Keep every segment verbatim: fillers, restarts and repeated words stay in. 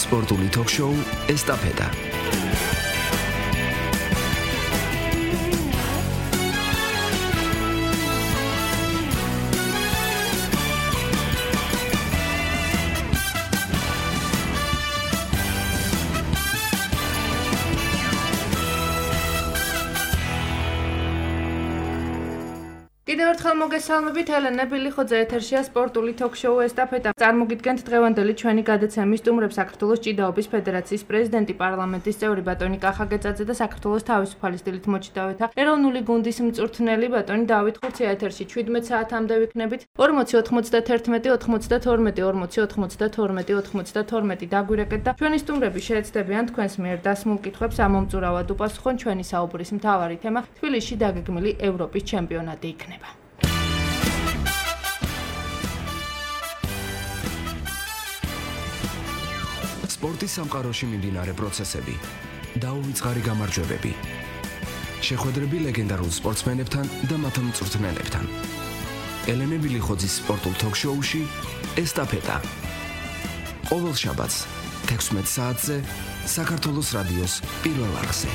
სპორტული ток-შოუ ესტაფეტა. კიდევ ერთხელ მოგესალმებით, ელენე ბილიხოძე ეთერშია სპორტული ток-შოუ ესტაფეტა. წარმოგიდგენთ დღევანდელი ჩვენი გადაცემის სტუმრებს საქართველოს ჭიდაობის ფედერაციის პრეზიდენტი, პარლამენტის წევრი ბატონი კახაგეწაძე და საქართველოს თავისუფალი სტილით მოჭიდავეთა ეროვნული გუნდის მწვრთნელი ბატონი დავით ხურცია ეთერში ჩვიდმეტ საათამდე ვიქნებით. ორმოცი ოთხმოცდათერთმეტი ოთხმოცდათორმეტი ორმოცი ოთხმოცდათორმეტი ოთხმოცდათორმეტი დაგვირეკეთ და ჩვენი სტუმრები შეეცდებიან თქვენს მიერ დასმულ კითხვებს ამომწურავად უპასუხონ. ჩვენი საუბრის მთავარი თემა თბილისში დაგეგმილი ევროპის ჩემპიონატი იქნება. სპორტის სამყაროში მიმდინარე პროცესები, დაუვიწყარი გამარჯვებები, შეხვედრები ლეგენდარულ სპორტსმენებთან და მათ მწვრთნელებთან. ელენე ბილიხოძის სპორტულ ток-შოუში ესტაფეტა. ყოველ შაბათს თექვსმეტ საათზე საქართველოს რადიოს პირველ არხზე.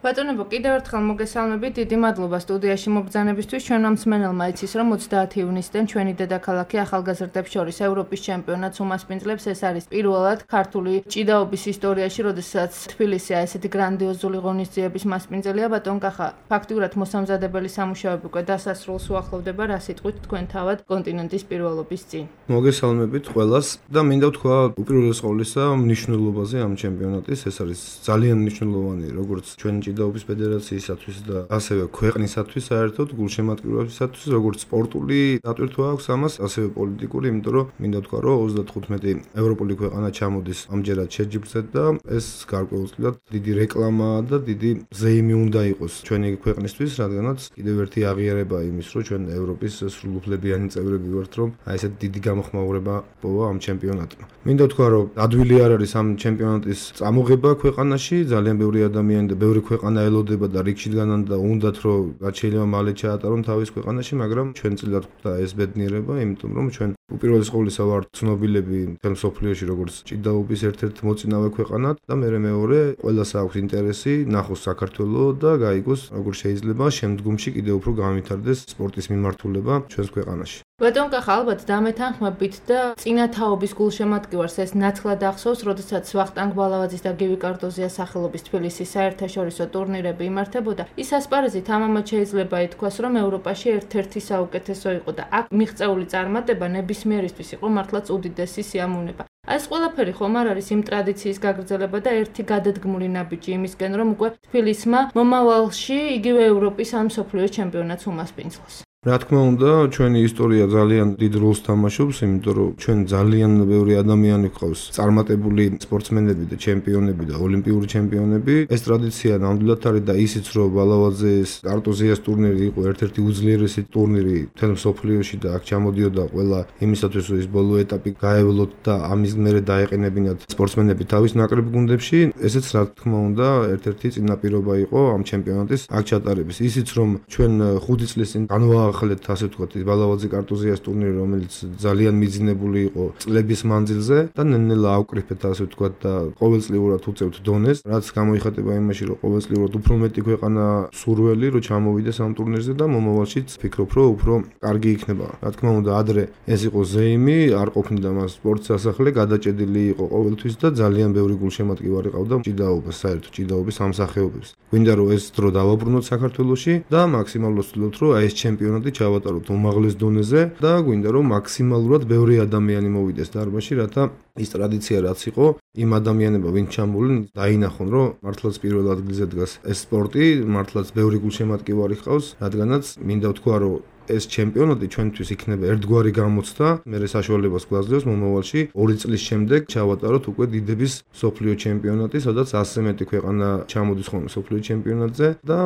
ბატონებო, კიდევ ერთხელ მოგესალმებით, დიდი მადლობა სტუდიაში მობრძანებისთვის. ჩვენ მსმენელმა იცის, რომ ოცდაათი ივნისიდან ჩვენი დედაქალაქი ახალგაზრდებს შორის ევროპის ჩემპიონატს უმასპინძლებს. ეს არის პირველად ქართული ჭიდაობის ისტორიაში, როდესაც თბილისი ესეთი გრანდიოზული ღონისძიების მასპინძელია. ბატონ კახა, ფაქტიურად მოსამზადებელი სამუშაოები უკვე დასასრულს უახლოვდება, რა სიტყვით თქვენ თავად კონტინენტის პირველობის წინ. მოგესალმებით ყველას და მინდა ვთქვა უპირველეს ყოვლისა მნიშვნელობაზე ამ ჩემპიონატის. ეს არის ძალიან მნიშვნელოვანი როგორც ჩვენ ჭიდაობის ფედერაციისათვის და ასევე ქვეყნისათვის საერთოდ გულშემატკივრებისათვის, როგორც სპორტული დატვირთვა აქვს ამას, ასევე პოლიტიკური, იმიტომ რომ მინდა ვთქვა, რომ ოცდათხუთმეტი ევროპული ქვეყანა ჩამოდის ამჯერად შეჯიბრზე და ეს გარკვეულწილად დიდი რეკლამაა და დიდი ზეიმი უნდა იყოს ჩვენი ქვეყნისთვის, რადგანაც კიდევ ერთი აღიარება იმის, რომ ჩვენ ევროპის სრულუფლებიანი წევრები ვართ, რომ აი ესეთ დიდი გამოხმაურება პოვა ამ ჩემპიონატმა. მინდა ვთქვა, რომ ადვილი არ არის ამ ჩემპიონატის წამოღება ქვეყანაში, ძალიან ბევრი ადამიანი და ბევრი ქვეყანა ელოდება და რიგში დგანან და უნდათ რომ რაც შეიძლება მალე ჩაატარონ თავის ქვეყანაში, მაგრამ ჩვენ წილად ხვდა ეს ბედნიერება, იმიტომ რომ ჩვენ უპირველეს ყოვლისა ვართ ცნობილები მთელ მსოფლიოში როგორც ჭიდაობის ერთ-ერთ მოწინავე ქვეყანად და მეორე მეორე ყველას აქვს ინტერესი ნახოს საქართველო და გაიგოს როგორ შეიძლება შემდგომში კიდევ უფრო განვითარდეს სპორტის მიმართულება ჩვენს ქვეყანაში. ბატონ კახა, ალბათ დამეთანხმებით და წინათაობის გულშემატკივარს ეს ნათლად ახსოვს, როდესაც ვახტანგ ბალავაძის და გივი კარდოზიას სახელობის თბილისის საერთაშორისო ტურნირები იმართებოდა. ის ასპარეზით ამამად შეიძლება ითქვას, რომ ევროპაში ერთ-ერთი საუკეთესო იყო და აქ მიღწეული წარმატება ნებისმიერისთვის იყო მართლაც უდიდესი სიამოვნება. ეს ყველაფერი ხომ არ არის იმ ტრადიციის გაგრძელება და ერთი გადადგმული ნაბიჯი იმისკენ, რომ უკვე თბილისმა მომავალში იგივე ევროპის ან მსოფლიოს ჩემპიონატს უმასპინძლოს. რა თქმა უნდა, ჩვენი ისტორია ძალიან დიდ როლს თამაშობს, იმიტომ რომ ჩვენ ძალიან ბევრი ადამიანი გვყავს წარმატებული სპორტსმენები და ჩემპიონები და ოლიმპიური ჩემპიონები. ეს ტრადიცია ნამდვილად არის და ისიც რომ ბალავაძეს კარტოზიას ტურნირი იყო ერთ-ერთი უძლიერესი ტურნირი მთელ მსოფლიოში და აქ ჩამოდიოდა ყველა იმისათვის, რომ ის ბოლო ეტაპი გაევლოთ და ამის მერე დაეყენებინათ სპორტსმენები თავის ნაკრებ გუნდებში. ესეც რა თქმა უნდა ერთ-ერთი წინაპირობა იყო ამ ჩემპიონატის აქ ჩატარების. ისიც რომ ჩვენ ხუთი წლის წინ განვა ახალეთ ასე ვთქვათ, ბალავაძე კარტოზიას ტურნირი, რომელიც ძალიან მიძინებული იყო წლების მანძილზე და ნელ-ნელა ავკრიფეთ ასე ვთქვათ და ყოველწლიურად უწევთ დონეს, რაც გამოიხატება იმაში, რომ ყოველწლიურად უფრო მეტი ქვეყანა სურველი რომ ჩამოვიდეს ამ ტურნირზე და მომავალშიც ფიქრობ, რომ უფრო კარგი იქნება. რა თქმა უნდა, ადრე ეს იყო ზეიმი, არ ყოფნიდა მას სპორტის სასახლე, გადაჭედილი იყო ყოველთვის და ძალიან ბევრი გულშემატკივარი ყავდა ჭიდაობას, საერთოდ ჭიდაობის სამსახიობებს. გვინდა რომ ეს დრო დავაბრუნოთ საქართველოში და მაქსიმალურად ვცდილობთ, რომ აი ეს ჩემპიონატი ჩავატაროთ უმაღლეს დონეზე და გვინდა რომ მაქსიმალურად ბევრი ადამიანი მოვიდეს დარბაზში, რათა ის ტრადიცია რაც იყო, იმ ადამიანებმა ვინც ჩამოვლენ, დაინახონ, რომ მართლაც პირველ ადგილზე დგას ეს სპორტი, მართლაც ბევრი გულშემატკივარი ჰყავს, რადგანაც მინდა ვთქვა, რომ ეს ჩემპიონატი ჩვენთვის იქნება ერთგვარი გამოცდა, მერე საშუალებას გვაძლევს მომავალში ორი წლის შემდეგ ჩავატაროთ უკვე დიდების მსოფლიო ჩემპიონატი, სადაც ასზე მეტი ქვეყანა ჩამოდის ხოლმე მსოფლიო ჩემპიონატზე და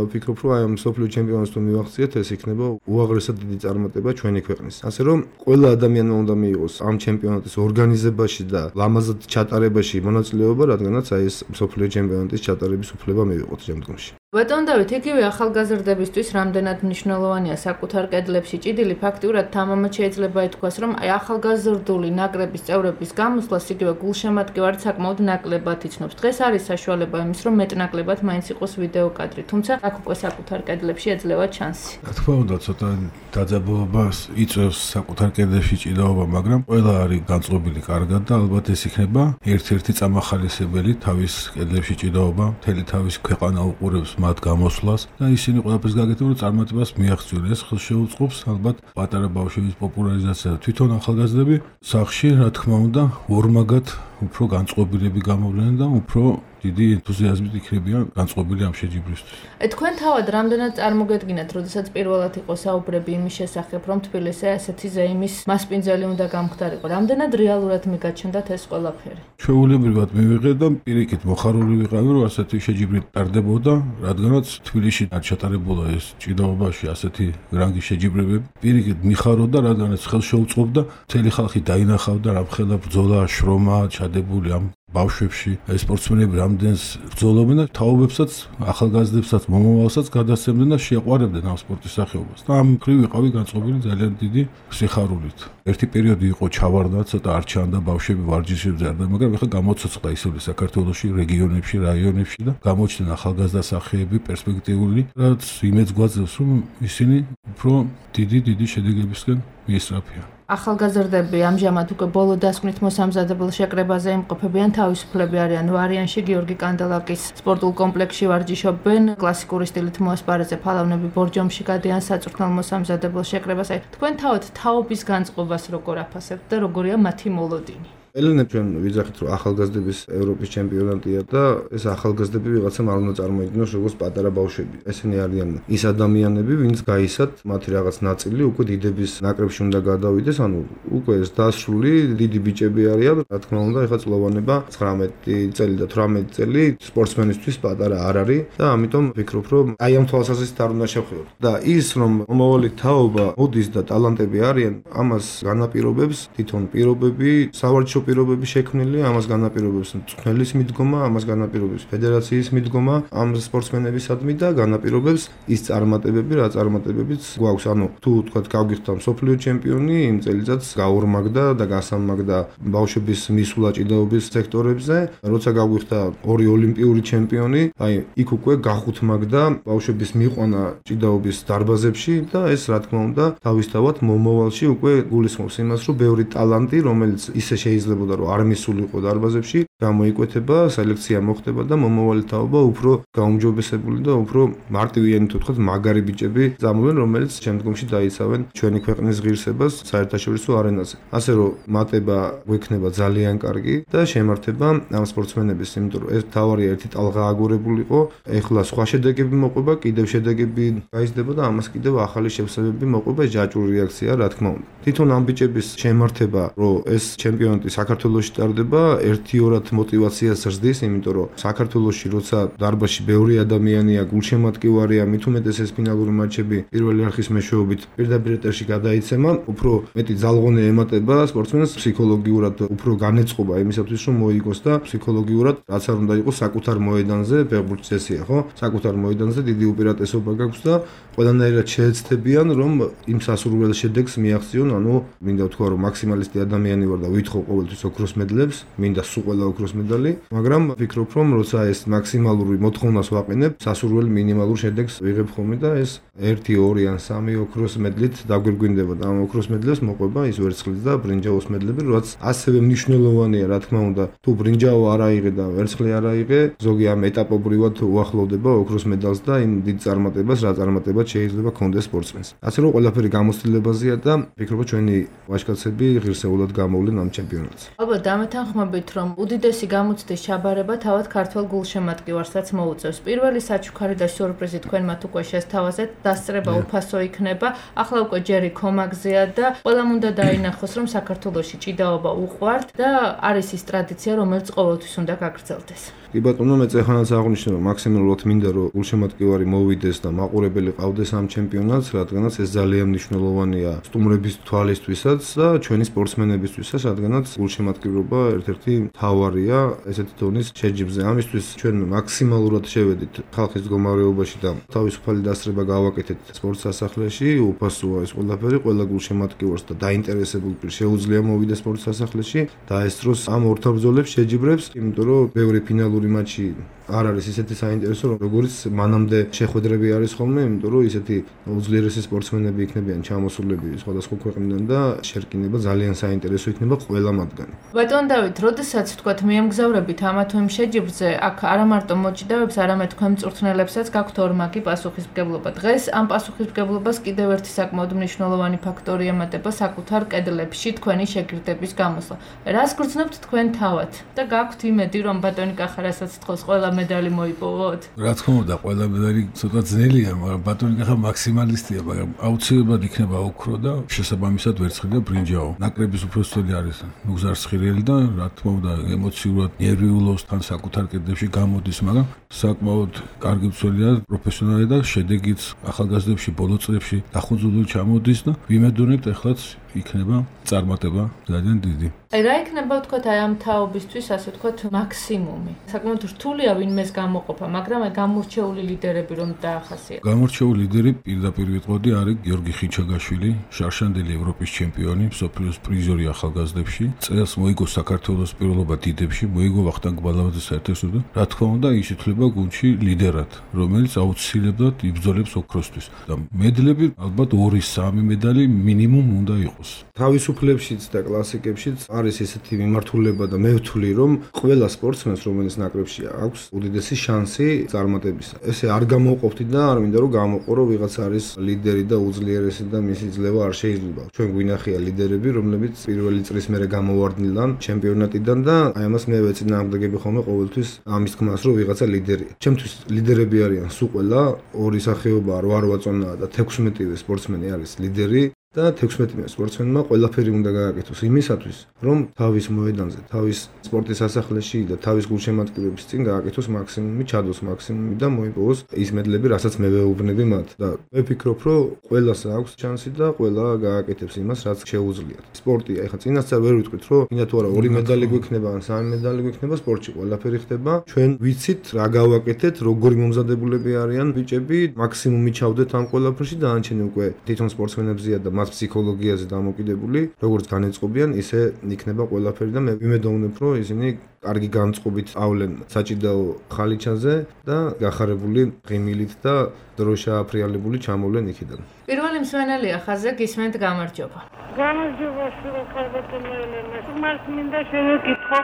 ვფიქრობ, რომ აი ამ მსოფლიო ჩემპიონატს თუ მივახციეთ, ეს იქნება უაღრესად დიდი წარმატება ჩვენი ქვეყნის. ასე რომ ყველა ადამიანმა უნდა მიიღოს ამ ჩემპიონატის ორგანიზებაში და ლამაზად ჩატარებაში მონაწილეობა, რადგანაც აი ეს მსოფლიო ჩემპიონატის ჩატარების უფლება მივიღოთ შემდგომში. ბატონ დავით, იგივე ახალგაზრდებისთვის რამდენად მნიშვნელოვანია საკუთარ კედლებში ჭიდილი, ფაქტიურად თამამად შეიძლება ითქვას, რომ აი ახალგაზრდული ნაკრების წევრების გამოსვლას იგივე გულშემატკივარი საკმაოდ ნაკლებად იცნობს. დღეს არის საშუალება იმის, რომ მეტნაკლებად მაინც იყოს ვიდეო კადრი, თუმცა აქ უკვე საკუთარ კედლებში ეძლევა ჩანსი. რა თქმა უნდა, ცოტა დაძაბულობას იწვევს საკუთარ კედლებში ჭიდაობა, მაგრამ ყველა არის განწყობილი კარგად და ალბათ ეს იქნება ერთ-ერთი წამახალისებელი თავის კედლებში ჭიდაობა, მთელი თავის ქვეყანა უყურებს მათ გამოსვლას და ისინი ყველაფერს გაკეთებენ, რომ წარმატებას მიაღწიონ. ეს ხელშეუწყობს ალბათ პატარა ბავშვების პოპულარიზაცია და თვითონ ახალგაზრდები სახში, რა თქმა უნდა, ორმაგად უფრო განწყობილები გამოვლენენ და უფრო დიდი ენთუზიაზმით იქნებიან განწყობილი ამ შეჯიბრისთვის. ე თქვენ თავად რამდენად წარმოგედგინათ, როდესაც პირველად იყო საუბრები იმის შესახებ, რომ თბილისზე ასეთი ზეიმის მასპინძელი უნდა გამხდარიყო. რამდენად რეალურად მიგაჩნდათ ეს ყველაფერი? ჩვეულებრივად მივიღეთ და პირიქით მოხარული ვიყავი, რომ ასეთი შეჯიბრი ტარდებოდა, რადგანაც თბილისში არ ჩატარებულა ეს ჭიდაობაში ასეთი რანგის შეჯიბრებები. პირიქით მიხაროდა, რადგანაც ხელშეუწყობდა, მთელი ხალხი დაინახავდა რამხელა ბრძოლა, შრომა ჩადებული ამ ბავშვებში, სპორტსმენები რამდენს ბრძოლობენ და თაობებსაც, ახალგაზრდებსაც, მომავალსაც გადასცემდნენ და შეყვარებდნენ ამ სპორტის სახეობას. და ამ მხრივ ვიყავი განწყობილი ძალიან დიდი სიხარულით. ერთი პერიოდი იყო ჩავარდა, ცოტა არ ჩანდა ბავშვები ვარჯიშებზე არდა, მაგრამ ეხლა გამოცოცხლა ისევ საქართველოში, რეგიონებში, რაიონებში და გამოჩნდნენ ახალგაზრდა სახეები, პერსპექტიული, რაც იმედს გვაძლევს, რომ ისინი უფრო დიდი დიდი შედეგებისკენ მიესწრაფიან. ახალგაზრდები ამჟამად უკვე ბოლო დასკვნით მოსამზადებელ შეკრებაზე იმყოფებიან, თავისუფლები არიან ვარიანში, გიორგი კანდელაკის სპორტულ კომპლექსში ვარჯიშობენ, კლასიკური სტილით მოასპარეზე ფალავნები ბორჯომში გადიან საწვრთნელ მოსამზადებელ შეკრებას. აი, თქვენ თავად თაობის განწყობას როგორ აფასებთ და როგორია მათი მოლოდინი? ელენე ჩვენ ვიძახით, რომ ახალგაზრდების ევროპის ჩემპიონატია და ეს ახალგაზრდები ვიღაცამ არ უნდა წარმოიდგინოს როგორც პატარა ბავშვები. ესენი არიან ის ადამიანები, ვინც გაისად მათი რაღაც ნაწილი უკვე დიდების ნაკრებში უნდა გადავიდეს, ანუ უკვე ეს დასრული დიდი ბიჭები არიან, რა თქმა უნდა, ეხლა წლოვანება ცხრამეტი წელი და თვრამეტი წელი სპორტსმენისთვის პატარა არ არის და ამიტომ ვფიქრობ, რომ აი ამ თვალსაზრისით არ უნდა შევხედოთ. და ის რომ მომავალი თაობა მოდის და ტალანტები არიან, ამას განაპირობებს თვითონ პირობები, სავარჯიშო პირობები შექმნილი, ამას განაპირობებს მწვრთნელის მიდგომა, ამას განაპირობებს ფედერაციის მიდგომა ამ სპორტსმენებისადმი და განაპირობებს ის წარმატებები, რა წარმატებებიც გვაქვს. ანუ თუ თქვათ გავგიხდა მსოფლიო ჩემპიონი, იმ წელიწადს გაორმაგდა და გასამაგდა ბავშვების მისვლა ჭიდაობის სექტორებზე, როცა გავგიხდა ორი ოლიმპიური ჩემპიონი, აი იქ უკვე გახუთმაგდა ბავშვების მიყვანა ჭიდაობის დარბაზებში და ეს რა თქმა უნდა თავისთავად მომავალში უკვე გულისხმობს იმას, რომ ბევრი ტალანტი, რომელიც ისე შეიძლება რომ არ მისულიყო დარბაზებში, გამოიკვეთება, სელექცია მოხდება და მომავალი თაობა უფრო გაუმჯობესებული და უფრო მარტივიანი თუ თქვათ მაგარი ბიჭები წამოვიდნენ, რომელიც შემდგომში დაიცავენ ჩვენი ქვეყნის ღირსებას საერთაშორისო არენაზე. ასე რომ მატება გვექნება ძალიან კარგი და შემართება ამ სპორტსმენების, იმიტომ რომ ეს თავარი ერთი ტალღა აგორებულიყო, ეხლა სხვა შედეგები მოყვება, კიდევ შედეგები გაიზრდება და ამას კიდევ ახალი შევსებები მოყვება, ჯაჭვური რეაქცია, რა თქმა უნდა. თვითონ ამ ბიჭების შემართება, რომ ეს ჩემპიონატი საქართველოში ტარდება, ერთიორად მოტივაციას ზრდის, იმიტომ რომ საქართველოში როცა დარბაზში ბევრი ადამიანია, გულშემატკივარია, მით უმეტეს ეს ფინალური მატჩები პირველი არხის მეშვეობით პირდაპირ ეტერში გადაიცემა, უფრო მეტი ძალღონე ემატება სპორტსმენს ფსიქოლოგიურად, უფრო განეწყობა იმისათვის, რომ მოიგოს და ფსიქოლოგიურად რაც არ უნდა იყოს საკუთარ მოედანზე, ფეხბურთის წესია, ხო? საკუთარ მოედანზე დიდი უპირატესობა გაქვს და ყველანაირად შეეცდებიან, რომ იმ სასურველ შედეგს მიაღწიონ, ანუ მინდა ვთქვა, რომ მაქსიმალისტი ადამიანი ვარ და ვითხოვ ყოველთვის ოქროს მედლებს, მინდა სულ ყველა ოქროს მედალი, მაგრამ ვფიქრობ, რომ როცა ეს მაქსიმალური მოთხოვნას ვაყენებ, სასურველ მინიმალურ შედეგს ვიღებ ხოლმე და ეს ერთი, ორი ან სამი ოქროს მედლით დაგვირგვინდება და ამ ოქროს მედლებს მოყვება ის ვერცხლის და ბრინჯაოს მედლები, რაც ასევე მნიშვნელოვანია, რა თქმა უნდა, თუ ბრინჯაო არ აიღე და ვერცხლი არ აიღე, ზოგი ამ ეტაპობრივად უახლოვდება ოქროს მედალს და იმ დიდ წარმატებას, რა წარმატება შეიძლება კონდეს სპორტსმენს. ასე რომ ყველაფერი გამოცდილებაზეა და ვფიქრობ, ჩვენი ვაჟკაცები ღირსეულად გამოვლენ ამ ჩემპიონატს. ალბათ დამეთანხმებით, რომ უდიდესი გამოცდის ჩაბარება თავად ქართველ გულშემატკივარსაც მოუწევს. პირველი საჩუქარი და სიურპრიზი თქვენ მათ უკვე შესთავაზეთ, დასწრება უფასო იქნება. ახლა უკვე ჯერი კომაგზეა და ყველამ უნდა დაინახოს, რომ საქართველოში ჭიდაობა უყვართ და არის ის ტრადიცია, რომელიც ყოველთვის უნდა გაგრძელდეს. კი ბატონო, მე წეხანაც აღნიშნე, რომ მაქსიმალურად მინდა რომ გულშემატკივარი მოვიდეს და მაყურებელი ყავდეს ამ ჩემპიონატს, რადგანაც ეს ძალიან მნიშვნელოვანია სტუმრების თვალისთვისაც და ჩვენი სპორტსმენებისთვისაც, რადგანაც გულშემატკივრობა ერთ-ერთი მთავარია ესეთი დონის შეჯიბრზე. ამისთვის ჩვენ მაქსიმალურად შევედით ხალხის მდგომარეობაში და თავისუფალი დასწრება გავაკეთეთ სპორტ სასახლეში, უფასოა ეს ყველაფერი, ყველა გულშემატკივარს და დაინტერესებულ პირს შეუძლია მოვიდეს სპორტ სასახლეში და ესწროს ამ ორთაბრძოლებს შეჯიბრებს, იმიტომ რომ ბევრი ფინალური მატჩი არ არის ისეთი საინტერესო, როგორც მანამდე შეხვედრები არის ხოლმე, იმიტომ რომ ისეთი უძლიერესი სპორტსმენები იქნებიან ჩამოსულები სხვადასხვა ქვეყნიდან და შერკინება ძალიან საინტერესო იქნება ყველა მათგანი. ბატონ დავით, როდესაც თქვათ მიემგზავრებით ამა თუ იმ შეჯიბრზე, აქ არა მარტო მოჭიდავებს, არამედ თქვენ მწვრთნელებსაც გაქვთ ორმაგი პასუხისმგებლობა. დღეს ამ პასუხისმგებლობას კიდევ ერთი საკმაოდ მნიშვნელოვანი ფაქტორი ემატება საკუთარ კედლებში თქვენი შეგირდების გამოსვლა. რას გრძნობთ თქვენ თავად და გაქვთ იმედი, რომ ბატონი კახარასაც თხოვს ყველა медали მოიპოვოთ? რა თქმა უნდა, ყველა медали ცოტა ძნელია, მაგრამ ბატონი კახა მაქსიმალისტია, მაგრამ აუცილებლად იქნება ოქრო და შესაბამისად ვერცხლი და ბრინჯაო. ნაკრების უფროსწოდი არის მუგზარსხირელი და რა თქმა უნდა, ემოციურად ნერვიულობს თან საკუთარ კედლებში გამოდის, მაგრამ საკმაოდ კარგი მცველია, პროფესიონალი და შედეგიც ახალგაზრდებში ბოლო წლებში დახუძული ჩამოდის და ვიმედოვნებთ ახლაც იქნება წარმატება ძალიან დიდი. აი რა იქნება ვთქვათ აი ამ თაობისთვის, ასე ვთქვათ, მაქსიმუმი. საკმაოდ რთულია ვინმეს გამოყოფა, მაგრამ აი გამორჩეული ლიდერები რომ დაახასიათო. გამორჩეული ლიდერი პირდაპირ ვიტყოდი არის გიორგი ხიჩაგაშვილი, შარშანდელი ევროპის ჩემპიონი, მსოფლიოს პრიზორი ახალგაზრდებში. წელს მოიგო საქართველოს პირველობა დიდებში, მოიგო ვახტანგ ბალავაძის საერთაშორისო და რა თქმა უნდა ის ითვლება გუნდში ლიდერად, რომელიც აუცილებლად იბრძოლებს ოქროსთვის. და მედლები ალბათ ორი სამი медали მინიმუმ უნდა იყოს. თავისუფლებშიც და კლასიკებშიც არის ესეთი მიმართულება და მე ვთვლი, რომ ყველა სპორტსმენს, რომელიც ნაკრებში აქვს, უდიდესი შანსი წარმატებისა. ესე არ გამოვყოფთი და არ მინდა რომ გამოყო, რომ ვიღაც არის ლიდერი და უძლიერესი და მისი ძლევა არ შეიძლება. ჩვენ გვინახია ლიდერები, რომლებიც პირველი წრის მერე გამოვარდნილან ჩემპიონატიდან და აი ამას მე ვეწინააღმდეგები ხოლმე ყოველთვის ამის თქმას, რომ ვიღაცა ლიდერია. ჩემთვის ლიდერები არიან სულ ყველა, ორი სახეობა რვა-რვაწონაა და თექვსმეტივე სპორტსმენი არის ლიდერი. და თექვსმეტივე სპორტსმენმა ყველაფერი უნდა გააკეთოს იმისათვის, რომ თავის მოედანზე, თავის სპორტის სასახლეში და თავის გულშემატკივრების წინ გააკეთოს მაქსიმუმი, ჩადოს მაქსიმუმი და მოიპოვოს ის მედლები, რასაც მე ვეუბნები მათ. და მე ვფიქრობ, რომ ყველას აქვს შანსი და ყველა გააკეთებს იმას, რაც შეუძლიათ. სპორტი, ეხლა წინასწარ ვერ ვიტყვით, რომ მინდა თუ არა ორი медали გვექნება ან სამი медали გვექნება, სპორტში ყველაფერი ხდება. ჩვენ ვიცით რა გავაკეთეთ, როგორი მომზადებულები არიან ბიჭები, მაქსიმუმი ჩავდეთ ამ ყველაფერში და ანჩენი უკვე თვითონ სპორტსმენებზია და მას ფსიქოლოგიაზე დამოკიდებული, როგორც განეწყობიან, ისე იქნება ყველაფერი და მე ვიმედოვნებ, რომ ისინი კარგი განწყობით ავლენ საჭიდაო ხალიჩაზე და გახარებული ღიმილით და დროშა აფრიალებული ჩამოვლენ იქიდან. პირველი მსვენელია ხაზე გისმენთ გამარჯობა. გამარჯობა ხალბატონო ელენა. მას მინდა შევეკითხო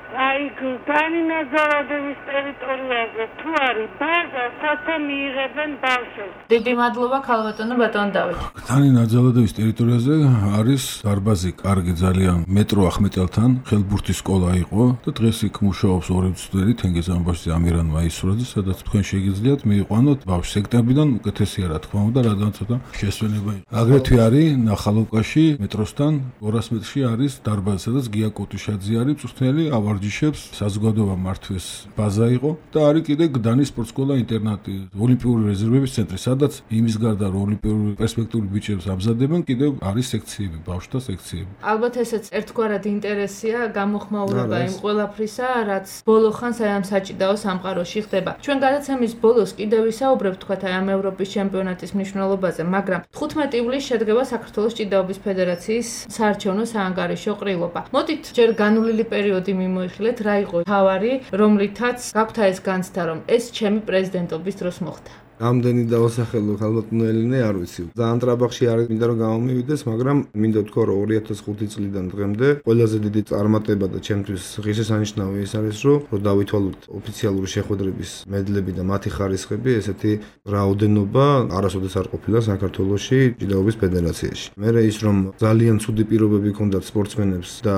აი განი ნაზარადების ტერიტორიაზე თუ არის ბაზა, სათა მიიღებენ ბავშვებს. დიდი მადლობა ხალბატონო ბატონ დავით. განი ნაზარადების ტერიტორიაზე არის დარბაზი, კარგი ძალიან მეტრო ახმეტელთან, ხელბურთის სკოლა იყო და დღეს იქ მუშაობს ორი მცდელი თენგიზ ამბაშზე ამირან მაისურაძე, სადაც თქვენ შეგიძლიათ მიიყვანოთ ბავშვი სექტემბრიდან უკეთესია რა თქმა უნდა, რადგან ცოტა შესვენება იყო. აგრეთვე არის ნახალოვკაში მეტროსთან ორას მეტრში არის დარბაზი, სადაც გია კოტუშაძე არის მწვრთნელი ავარ ჯიშებს საზოგადოება მართვეს ბაზა იყო და არის კიდე გდანის სპორტსკოლა ინტერნატი, ოლიმპიური რეზერვების ცენტრი, სადაც იმის გარდა რომ ოლიმპიური პერსპექტიული ბიჭებს ამზადებენ, კიდე არის სექციები, ბავშვთა სექციები. ალბათ ესეც ერთგვარად ინტერესია, გამოხმაურება იმ ყველაფრისა, რაც ბოლო ხანს აი ამ საჭიდაო სამყაროში ხდება. ჩვენ გადაცემის ბოლოს კიდევ ვისაუბრებთ თქვათ აი ამ ევროპის ჩემპიონატის მნიშვნელობაზე, მაგრამ თხუთმეტი ივლისს შედგება საქართველოს ჭიდაობის ფედერაციის საარჩევნო საანგარიშო ყრილობა. მოდით ჯერ განვლილი პერიოდი მიმო ხილეთ რა იყო თავარი, რომლითაც გაგვთა ეს განცდა, რომ ეს ჩემი პრეზიდენტობის დროს მოხდა. ამდენი დავასახელო ხალბატონო ელენე არ ვიცი. ძალიან ტრაბახში არის მინდა რომ გამომივიდეს, მაგრამ მინდა ვთქვა რომ ორი ათას ხუთი წლიდან დღემდე ყველაზე დიდი წარმატება და ჩემთვის ღირსშესანიშნავი ის არის, რომ რომ დავითვალოთ ოფიციალური შეხვედრების მედლები და მათი ხარისხები, ესეთი რაოდენობა არასოდეს არ ყოფილა საქართველოში ჭიდაობის ფედერაციაში. მე ის რომ ძალიან ცუდი პირობები ჰქონდათ სპორტსმენებს და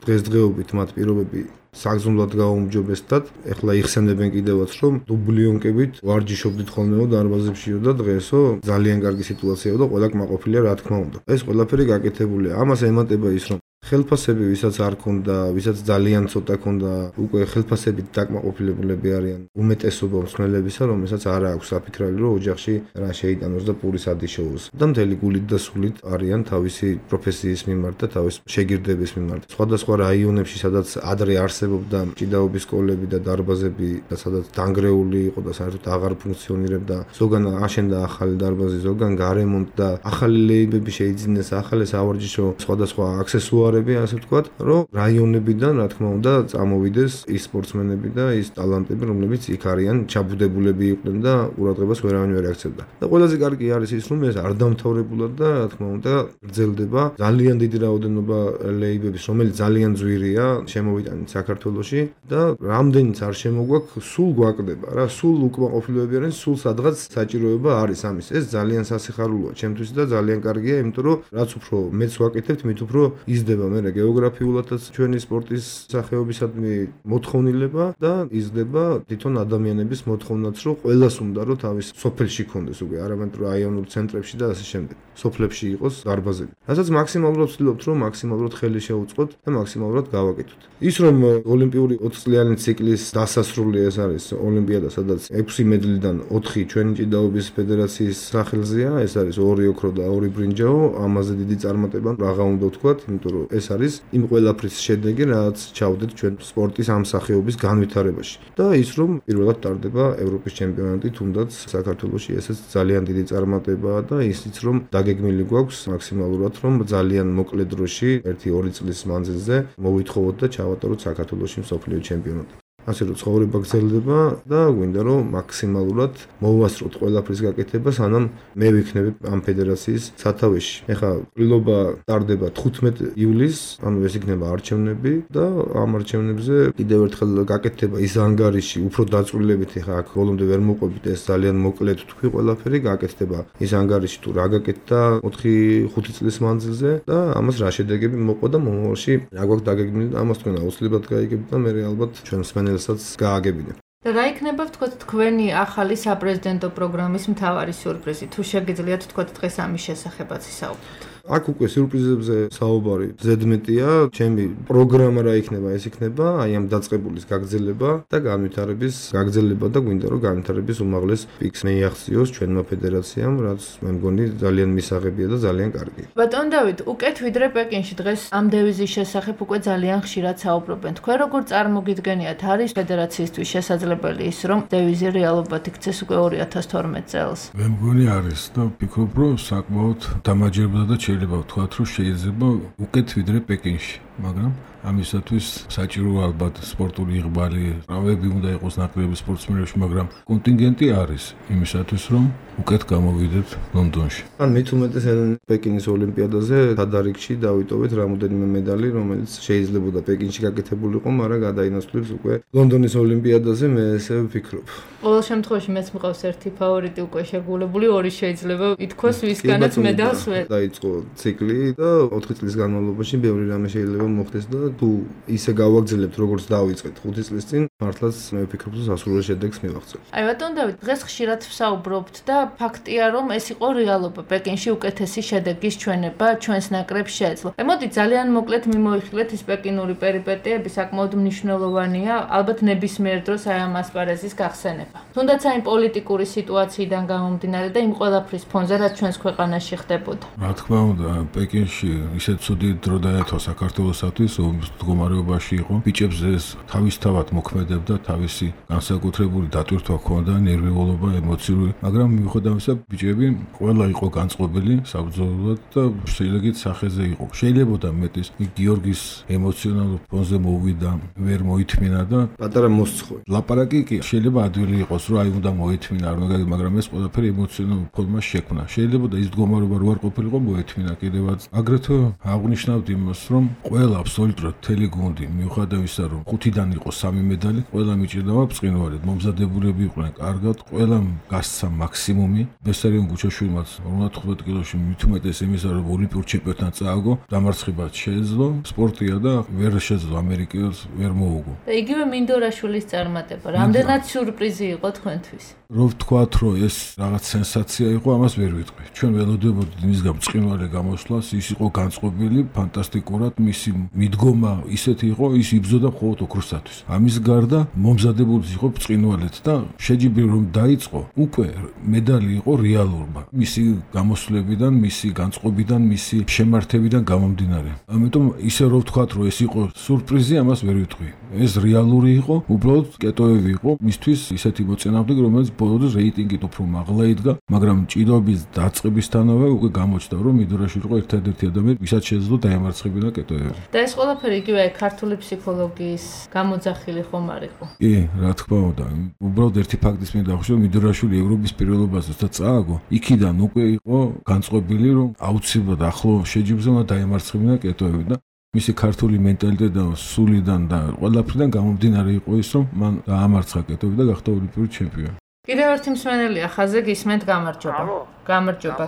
დღესდღეობით მათ პირობები საგზნობლად გაუმჯობესდათ, ეხლა იხსენებენ კიდევაც, რომ დუბლიონკებით ვარჯიშობდით ხოლმეო დარბაზებშიო და დღესო ძალიან კარგი სიტუაციაა და ყველა კმაყოფილია რა თქმა უნდა. ეს ყველაფერი გაკეთებულია. ამას ემატება ის, რომ ხელფასები ვისაც არ ქონდა, ვისაც ძალიან ცოტა ქონდა, უკვე ხელფასებით დაკმაყოფილებულები არიან უმეტესობა მსმენელებისა, რომელსაც არ აქვს საფიქრალი, რომ ოჯახში რა შეიტანოს და პურის ადიშოოს. და მთელი გულით და სულით არიან თავისი პროფესიის მიმართ და თავის შეგირდების მიმართ. სხვადასხვა რაიონებში, სადაც ადრე არსებობდა ჭიდაობის სკოლები და დარბაზები და სადაც დანგრეული იყო და საერთოდ აღარ ფუნქციონირებდა, ზოგან აშენდა ახალი დარბაზი, ზოგან გარემონტდა, ახალი ლეიბები შეიძინეს, ახალი სავარჯიშო სხვადასხვა აქსესუარები, ასე ვთქვათ, რომ რაიონებიდან, რა თქმა უნდა, წამოვიდეს ის სპორტსმენები და ის ტალანტები, რომლებიც იქ არიან ჩაბუდებულები იყვნენ და ყურადღებას ვერავინ ვერ აქცევდა. და ყველაზე კარგი არის ის, რომ ეს არ დამთავრებულად და რა თქმა უნდა, გრძელდება ძალიან დიდი რაოდენობა ლეიბების, რომელიც ძალიან ძვირია, შემოვიტანით საქართველოში და რამდენიც არ შემოგვაქვს, სულ გვაკდება რა, სულ უკმაყოფილოები არიან, სულ სადღაც საჭიროება არის ამის. ეს ძალიან სასიხარულოა ჩემთვის და ძალიან კარგია, იმიტომ რომ რაც უფრო მეც ვაკეთებთ, მით უფრო იზრდება მე გეოგრაფიულადაც ჩვენი სპორტის სახეობისადმი მოთხოვნილება და იზრდება თვითონ ადამიანების მოთხოვნაც, რომ ყველას უნდა რომ თავის სოფელში ქონდეს უკვე, არამედ რაიონულ ცენტრებში და ასე შემდეგ. სოფლებში იყოს დარბაზები. რასაც მაქსიმალურად ვცდილობთ, რომ მაქსიმალურად ხელი შევუწყოთ და მაქსიმალურად გავაკეთოთ. ის რომ ოლიმპიური ოთხ წლიანი ციკლის დასასრული ეს არის ოლიმპიადა, სადაც ექვსი მედლიდან ოთხი ჩვენი ჭიდაობის ფედერაციის სახელზეა, ეს არის ორი ოქრო და ორი ბრინჯაო, ამაზე დიდი წარმატება რაღა უნდა ვთქვათ, იმიტომ რომ ეს არის იმ ყველაფრის შედეგი, რაც ჩავდეთ ჩვენ სპორტის ამ სახეობის განვითარებაში. და ის რომ პირველად ტარდება ევროპის ჩემპიონატი, თუნდაც საქართველოში ესეც ძალიან დიდი წარმატებაა და ისიც რომ დაგეგმილი გვაქვს მაქსიმალურად, რომ ძალიან მოკლე დროში, ერთი ორი წლის მანძილზე მოვითხოვოთ და ჩავატაროთ საქართველოში მსოფლიო ჩემპიონატი. ასე რომ ცხოვრება გრძელდება და გვინდა რომ მაქსიმალურად მოვასწროთ ყველაფრის გაკეთება, სანამ მე ვიქნები ამ ფედერაციის სათავეში. ეხლა ყრილობა ტარდება თხუთმეტ ივლისს, ანუ ეს იქნება არჩევნები და ამ არჩევნებზე კიდევ ერთხელ გაკეთდება ის ანგარიში, უფრო დაწვრილებით, ეხლა აქ ბოლომდე ვერ მოყვებით, ეს ძალიან მოკლედ თქვი ყველაფერი, გაკეთდება ის ანგარიში თუ რა გაკეთდა ოთხი ხუთი წლის მანძილზე და ამას რა შედეგები მოყვა და მომავალში რა გვაქვს დაგეგმილი და ამას თქვენ აუცილებლად გაიგებთ და მე ალბათ ჩვენ მსმენელს გააგებინებ. და რა იქნება ვთქვათ თქვენი ახალი საპრეზიდენტო პროგრამის მთავარი სიურპრიზი? თუ შეგიძლიათ ვთქვათ დღეს ამის შესახებაც ისაუბროთ. აქ უკვე სიურპრიზებზე საუბარი ზედმეტია, ჩემი პროგრამა რა იქნება, ეს იქნება აი ამ დაწყებულის გაგრძელება და განვითარების გაგრძელება და გვინდა რომ განვითარების უმაღლეს პიკს მეიახციოს ჩვენმა ფედერაციამ, რაც მე მგონი ძალიან მისაღებია და ძალიან კარგი. ბატონ დავით, უკეთ ვიდრე პეკინში დღეს ამ დევიზის შესახებ უკვე ძალიან ხშირად საუბრობენ. თქვენ როგორ წარმოგიდგენიათ, არის ფედერაციისთვის შესაძლებელი ის, რომ დევიზი რეალობად იქცეს უკვე ორი ათას თორმეტ წელს? მე მგონი არის და ვფიქრობ, რომ საკმაოდ დამაჯერებდა და შეიძლება ვთქვათ, რომ შეიძლება უკეთ ვიდრე პეკინში, მაგრამ ამისათვის საჭიროა ალბათ სპორტული იღბალი, რავები უნდა იყოს ნაკლები სპორტსმენებში, მაგრამ კონტინგენტი არის იმისათვის, რომ უკეთ გამოვიდეთ ლონდონში. ან მით უმეტეს პეკინის ოლიმპიადაზე თადარიგში დავიტოვეთ რამოდენიმე медаლი, რომელიც შეიძლებოდა პეკინში გაკეთებულიყო, მაგრამ გადაინაცვლებს უკვე ლონდონის ოლიმპიადაზე, მე ესე ვფიქრობ. ყოველ შემთხვევაში მეც მყავს ერთი ფავორიტი უკვე შეგულებული, ორი შეიძლება ითქვას ვისგანაც медаლს ვერ. დაიწყო ციკლი და ოთხი წლის განმავლობაში ბევრი რამე შეიძლება მოხდეს და თუ ისე გავაგრძელებთ როგორც დავიწყეთ ხუთი წლის წინ, მართლაც მე ვფიქრობ, რომ სასურველ შედეგს მივაღწევთ. აი ბატონ დავით, დღეს ხშირად ვსაუბრობთ და ფაქტია, რომ ეს იყო რეალობა. პეკინში უკეთესი შედეგის ჩვენება ჩვენს ნაკრებს შეეძლო. მოდი ძალიან მოკლედ მიმოიხილეთ ის პეკინური პერიპეტიები, საკმაოდ მნიშვნელოვანია, ალბათ ნებისმიერ დროს აი ამ ასპარეზის გახსენება. თუნდაც აი პოლიტიკური სიტუაციიდან გამომდინარე და იმ ყველაფრის ფონზე, რაც ჩვენს ქვეყანაში ხდებოდა. რა თქმა უნდა, პეკინში ისეთ ცუდი დრო დაეთვალა საქართველოსათვის, მდგომარეობაში იყო. ბიჭებს ეს თავისთავად მოქმედებდა, თავისი განსაკუთრებული დატვირთვა ჰქონდა, ნერვიულობა, ემოციური, მაგრამ მიუხედავ ამისა, ბიჭები ყველა იყო განწყობილი საბრძოლოდ და შეიძლება სახეზე იყო. შეიძლებოდა მეტის გიორგის ემოციონალურ ფონზე მოვიდა, ვერ მოითმინა და პატარა მოსცხო. ლაპარაკი კი შეიძლება ადვილი იყოს, რომ აი უნდა მოითმინა, მაგრამ ეს ყველაფერი ემოციონალურ ფონმა შექმნა. შეიძლებოდა ის მდგომარეობა რო არ ყოფილიყო, მოითმინა კიდევაც. აგრეთვე აღნიშნავთ იმას, რომ ყველა აბსოლუტურად მთელი გუნდი, მიუხედავ ისა, რომ ხუთიდან იყო სამი медаლი, მწვრთნელი, ყველა მიჭირდა ბრწყინვალედ, მომზადებულები იყვნენ კარგად, ყველა გასცა მაქსიმუმი. ბესარიონ გუჩაშვილმაც ორმოცდათხუთმეტ კილოში მით უმეტეს იმისა, რომ ოლიმპიურ ჩემპიონატთან წააგო, დამარცხებაც შეეძლო, სპორტია და ვერ შეძლო ამერიკელს ვერ მოუგო. და იგივე მინდორაშვილის წარმატება, რამდენად სიურპრიზი იყო თქვენთვის? რო ვთქვათ, რომ ეს რაღაც სენსაცია იყო, ამას ვერ ვიტყვი. ჩვენ ველოდებოდით მისგან ბრწყინვალე გამოსვლას, ის იყო განწყობილი, ფანტასტიკურად, მისი მიდგომა ისეთი იყო, ის იბრძოდა მხოლოდ ოქროსათვის. ამის გარდა მომზადებული იყო ბრწყინვალედ და შეჯიბრი რომ დაიწყო, უკვე მედალი იყო რეალურობა. მისი გამოსვლებიდან, მისი განწყობიდან, მისი შემართებიდან გამომდინარე. ამიტომ ისე რო ვთქვათ, რომ ეს იყო სურპრიზი, ამას ვერ ვიტყვი. ეს რეალური იყო, უბრალოდ კეტოები იყო მისთვის ისეთი მოწინააღმდეგე, რომელიც ბოლოს რეიტინგით უფრო მაღლა იდგა, მაგრამ ჭიდაობის დაწყებისთანავე უკვე გამოჩნდა, რომ მიდორაშვილი იყო ერთადერთი ადამიანი, ვისაც შეძლო დაემარცხებინა კეტოები. და ეს ყველაფერი იგივე ქართული ფსიქოლოგიის გამოძახილი ხომ არ იყო? კი, რა თქმა უნდა. უბრალოდ ერთი ფაქტის მინდა დავხსნი, რომ მიდორაშვილი ევროპის პირველობაზე და წააგო, იქიდან უკვე იყო განწყობილი, რომ აუცილებლად ახლო შეჯიბრზე უნდა დაემარცხებინა კეტოები და მისი ქართული მენტალიტეტიდან, სულიდან და ყველაფრიდან გამომდინარე იყო ის, რომ მან დაამარცხა კეტოები და გახდა ოლიმპიური ჩემპიონი. კიდევ ერთი მსმენელია ხაზზე გისმენთ გამარჯობა. გამარჯობა.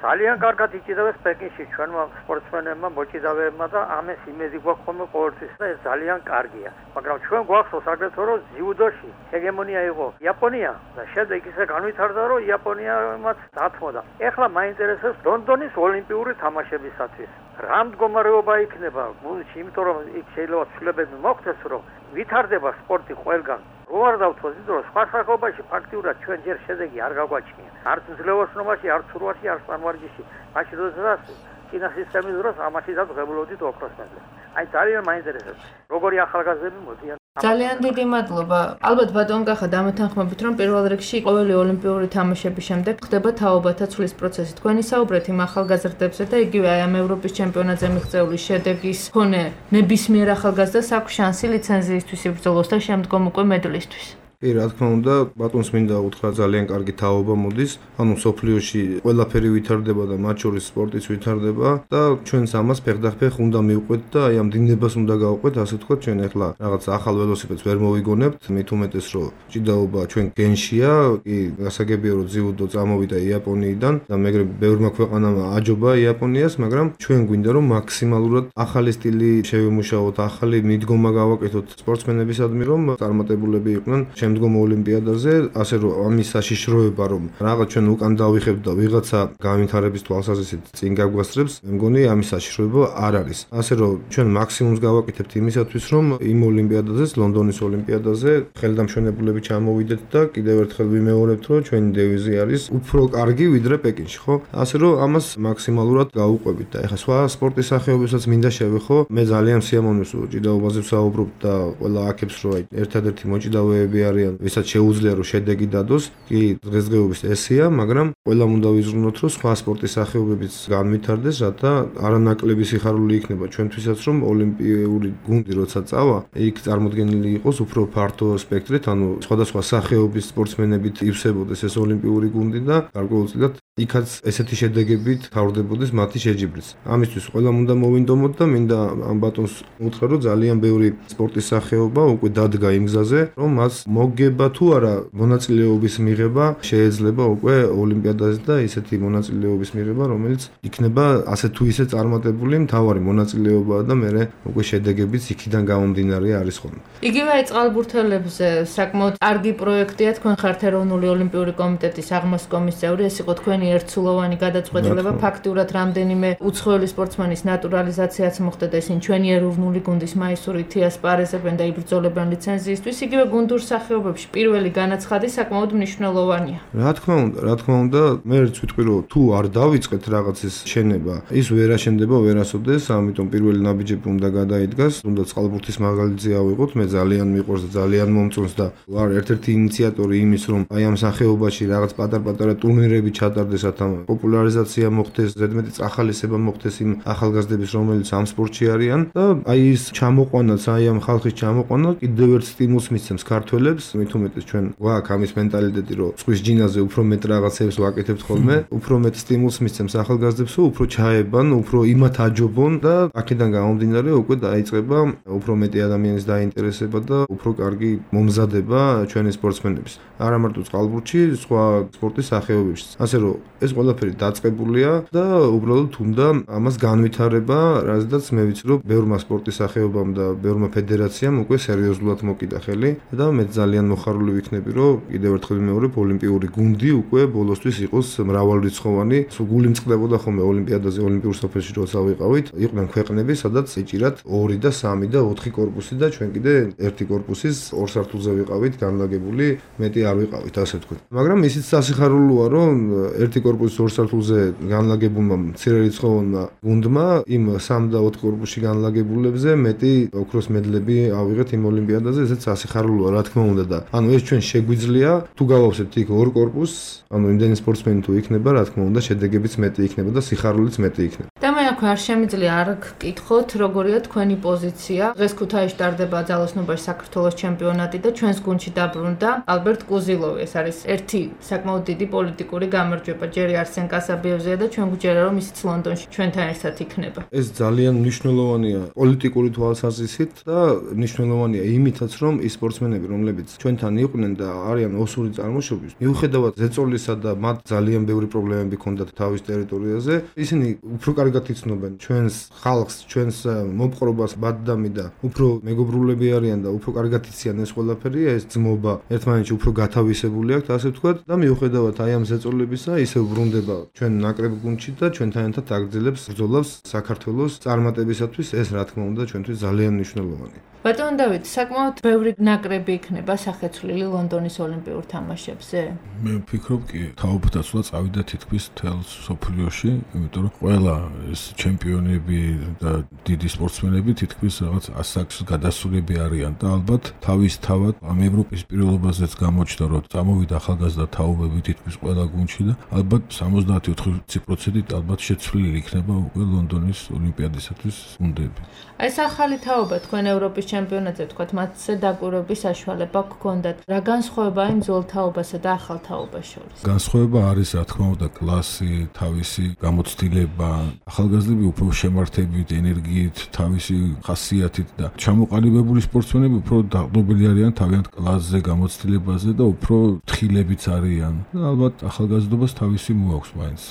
ძალიან კარგად იჭირებს პეკინში ჩვენმა სპორტსმენებმა, მოჭიდავეებმა და ამას იმედი გვაქვს ხოლმე ყოველთვის და ეს ძალიან კარგია. მაგრამ ჩვენ გვახსოვს აგრეთვე რომ ძიუდოში ჰეგემონია იყო იაპონია და შემდეგ ისე განვითარდა რომ იაპონიამაც დათმოდა. ეხლა მაინტერესებს ლონდონის ოლიმპიური თამაშებისათვის რა მდგომარეობა იქნება გუნდში, იმიტომ რომ იქ შეიძლება ცვლილებები მოხდეს, რომ ვითარდება სპორტი ყველგან. რო არ დავთვალოთ, იმიტომ რომ სხვა სახეობაში ფაქტიურად ჩვენ ჯერ შედეგი არ გაგვაჩნია. არც ძლევოსნობაში, არც ურვაში, არც პანვარჯიში. მაშინ როდესაც წინა სისტემის დროს ამაში დაგღებულობდით ოქროს მედლს. აი ძალიან მაინტერესებს, როგორი ახალგაზრდები მოდიან. ძალიან დიდი მადლობა. ალბათ ბატონ კახა დამეთანხმებით, რომ პირველ რიგში ყოველი ოლიმპიური თამაშების შემდეგ ხდება თაობათა ცვლის პროცესი. თქვენ ისაუბრეთ იმ ახალგაზრდებზე და იგივე აი ამ ევროპის ჩემპიონატზე მიღწეული შედეგის მქონე ნებისმიერ ახალგაზრდას აქვს შანსი ლიცენზიისთვის იბრძოლოს და შემდგომ უკვე მედლისთვის. კი, რა თქმა უნდა, ბატონს მინდა უთხრა ძალიან კარგი თაობა მოდის. ანუ სოფლიოში ყველაფერი ვითარდება და მათ შორის სპორტიც ვითარდება და ჩვენს ამას ფეხდახფეხ უნდა მივყვეთ და აი ამ დინებას უნდა გავყვეთ, ასე ვთქვათ, ჩვენ ახლა რაღაც ახალ ველოსიპედს ვერ მოვიგონებთ, მით უმეტეს რომ ჭიდაობა ჩვენ გენშია, კი, გასაგებია რომ ძიუდო წამოვიდა იაპონიიდან და მეგრე ბევრმა ქვეყანამ აჯობა იაპონიას, მაგრამ ჩვენ გვინდა რომ მაქსიმალურად ახალი სტილი შევიმუშაოთ, ახალი მიდგომა გავაკეთოთ სპორტსმენებისადმი, რომ წარმატებულები იყვნენ შემდგომ ოლიმპიადაზე, ასე რომ ამის საშიშროება რომ რაღაც ჩვენ უკან დავიხებთ და ვიღაცა განვითარების თვალსაზრისით წინ გაგვასწრებს, მე მგონი ამის საშიშროება არ არის. ასე რომ ჩვენ მაქსიმუმს გავაკეთებთ იმისათვის, რომ იმ ოლიმპიადაზე, ლონდონის ოლიმპიადაზე ხელდამშვენებულები ჩამოვიდეთ და კიდევ ერთხელ ვიმეორებთ, რომ ჩვენი დევიზი არის უფრო კარგი ვიდრე პეკინში, ხო? ასე რომ ამას მაქსიმალურად გავუყვებით და ეხლა სხვა სპორტის სახეობებსაც მინდა შევეხო. მე ძალიან სიამოვნებს რომ ჭიდაობაზე ვსაუბრობ და ყველა აქებს რომ აი ერთადერთი მოჭიდავეები არიან, ვისაც შეუძლია რომ შედეგი დადოს, კი დღესდღეობის ესეა, მაგრამ ყველამ უნდა ვიზრუნოთ, რომ სხვა სპორტის სახეობებიც განვითარდეს, რათა არანაკლები სიხარული იქნება ჩვენთვისაც, რომ ოლიმპიური გუნდი როცა წავა, იქ წარმოდგენილი იყოს უფრო ფართო სპექტრით, ანუ სხვადასხვა სახეობის სპორტსმენებით ივსებოდეს ეს ოლიმპიური გუნდი და გარკვეულწილად იქაც ესეთი შედეგებით თავრდებოდეს მათი შეჯიბრიც. ამისთვის ყველამ უნდა მოვინდომოთ და მინდა ამ ბატონს უთხრა, რომ ძალიან ბევრი სპორტის სახეობა უკვე დადგა იმ გზაზე, რომ მას მოგება თუ არა მონაწილეობის მიღება შეეძლება უკვე ოლიმპიადაზე და ისეთი მონაწილეობის მიღება, რომელიც იქნება ასე თუ ისე წარმატებული, მთავარი მონაწილეობაა და მე უკვე შედეგებიც იქიდან გამომდინარე არის ხოლმე. იგივე აი წყალბურთელებზე საკმაოდ კარგი პროექტია, თქვენ ხართ ეროვნული ოლიმპიური კომიტეტის აღმასკომის წევრი, ეს იყო თქვენი ერთსულოვანი გადაწყვეტილება, ფაქტიურად რამდენიმე უცხოელი სპორტსმენის ნატურალიზაციაც მოხდა და ისინი ჩვენი ეროვნული გუნდის მაისურით იასპარეზებენ და იბრძოლებენ ლიცენზიისთვის, იგივე გუნდურ სახეობებში პირველი განაცხადი საკმაოდ მნიშვნელოვანია. რა თქმა უნდა, რა თქმა უნდა, მე ერთ ვიტყვი რომ თუ არ დავიწყეთ რაღაცის შენება, ის ვერ აშენდება ვერასოდეს, ამიტომ პირველი ნაბიჯები უნდა გადაიდგას, უნდა წყალბურთის მაგალითზე ავიღოთ, მე ძალიან მიყვარს და ძალიან მომწონს და ვარ ერთ-ერთი ინიციატორი იმის, რომ აი ამ სახეობაში რაღაც პატარ-პატარა ტურნირები ჩატარდეს როდესაც პოპულარიზაცია მოხდეს, ზედმეტი წახალისება მოხდეს იმ ახალგაზრდების, რომელიც ამ სპორტში არიან და აი ის ჩამოყვანაც, აი ამ ხალხის ჩამოყვანა კიდევ ერთ სტიმულს მისცემს ქართველებს, მით უმეტეს ჩვენ გვაქვს ამის მენტალიტეტი, რომ სხვის ჯინაზე უფრო მეტ რაღაცებს ვაკეთებთ ხოლმე, უფრო მეტ სტიმულს მისცემს ახალგაზრდებს, უფრო ჩაებან, უფრო იმათ აჯობონ და აქედან გამომდინარე უკვე დაიწყება უფრო მეტი ადამიანის დაინტერესება და უფრო კარგი მომზადება ჩვენი სპორტსმენების. არა მარტო წყალბურთში, სხვა სპორტის სახეობებშიც. ასე რომ ეს ყველაფერი დაწყებულია და უბრალოდ უნდა ამას განვითარება, რაზედაც მე ვიცი, რომ ბევრმა სპორტის სახეობამ და ბევრმა ფედერაციამ უკვე სერიოზულად მოკიდა ხელი და მე ძალიან მოხარული ვიქნები, რომ კიდევ ერთხელ ვიმეორებ, ოლიმპიური გუნდი უკვე ბოლოსთვის იყოს მრავალრიცხოვანი. სულ გული მწყდებოდა ხოლმე ოლიმპიადაზე, ოლიმპიურ სოფელში როცა ვიყავით, იყვნენ ქვეყნები, სადაც ეჭირათ ორი და სამი და ოთხი კორპუსი და ჩვენ კიდე ერთი კორპუსის ორ სართულზე ვიყავით განლაგებული, მეტი არ ვიყავით, ასე ვთქვათ. მაგრამ ისიც სასიხარულოა, რომ ერთი კორპუსის ორ სართულზე განლაგებულმა მცირერიცხოვანმა გუნდმა იმ სამ და ოთხ კორპუსში განლაგებულებზე მეტი ოქროს მედლები ავიღეთ იმ ოლიმპიადაზე, ესეც სასიხარულოა, რა თქმა უნდა და ანუ ეს ჩვენ შეგვიძლია თუ გავავსებთ იქ ორ კორპუსს, ანუ იმდენი სპორტსმენი თუ იქნება, რა თქმა უნდა, შედეგებიც მეტი იქნება და სიხარულიც მეტი იქნება. და მე აქვე არ შემიძლია არ გკითხოთ, როგორია თქვენი პოზიცია. დღეს ქუთაისში ტარდება ძალოსნობაში საქართველოს ჩემპიონატი და ჩვენს გუნდში დაბრუნდა ალბერტ კუზილოვი. ეს არის ერთი საკმაოდ დიდი პოლიტიკური გამარჯვება. ჯერი არსენ კასაბიევზეა და ჩვენ გვჯერა, რომ ისიც ლონდონში ჩვენთან ერთად იქნება. ეს ძალიან მნიშვნელოვანია პოლიტიკური თვალსაზრისით და მნიშვნელოვანია იმითაც, რომ ის სპორტსმენები, რომლებიც ჩვენთან იყვნენ და არიან ოსური წარმოშობის, მიუხედავად ზეწოლისა და მათ ძალიან ბევრი პრობლემები ჰქონდათ თავის ტერიტორიაზე, ისინი უფრო კარგად იცნობენ ჩვენს ხალხს, ჩვენს მოპყრობას, ბადდამი და უფრო მეგობრულები არიან და უფრო კარგად იციან ეს ყველაფერი, ეს ძმობა ერთმანეთში უფრო გათავისებული აქვთ, ასე ვთქვათ და მიუხედავად აი ამ ზეწოლებისა, ისევ ბრუნდება ჩვენ ნაკრებ გუნდში და ჩვენთან ერთად აგრძელებს ბრძოლას საქართველოს წარმატებისათვის, ეს რა თქმა უნდა ჩვენთვის ძალიან მნიშვნელოვანია. ბატონ დავით, საკმაოდ ბევრი ნაკრები იქნება სახეცვლილი ლონდონის ოლიმპიურ თამაშებზე? მე ვფიქრობ კი, თაობდაცვა წავიდა თითქმის მთელ სოფლიოში, იმიტომ რომ ყველა ეს ჩემპიონები და დიდი სპორტსმენები თითქმის რაღაც ასაკს გადასულები არიან და ალბათ თავისთავად ამ ევროპის პირველობაზეც გამოჩნდა, რომ წამოვიდა ახალგაზრდა თაობები თითქმის ყველა გუნდში და ალბათ სამოცდაათი ოთხdesяти პროცენტით ალბათ შეცვლილი იქნება უკვე ლონდონის ოლიმპიადისათვის გუნდები. ეს ახალი თაობა თქვენ ევროპის ჩემპიონატზე თქვათ, მათზე დაკვირვების საშუალება გქონდათ. რა განსხვავებაა იმ ძველ თაობასა და ახალ თაობას შორის? განსხვავება არის, რა თქმა უნდა, კლასი, თავისი გამოცდილება, ახალგაზრდები უფრო შემართებით, ენერგიით, თავისი ხასიათით და ჩამოყალიბებული სპორტსმენები უფრო დაყრდნობილი არიან თავიანთ კლასზე, გამოცდილებაზე და უფრო თხილებიც არიან. ალბათ ახალგაზრდობას თავისი მოაქვს მაინც.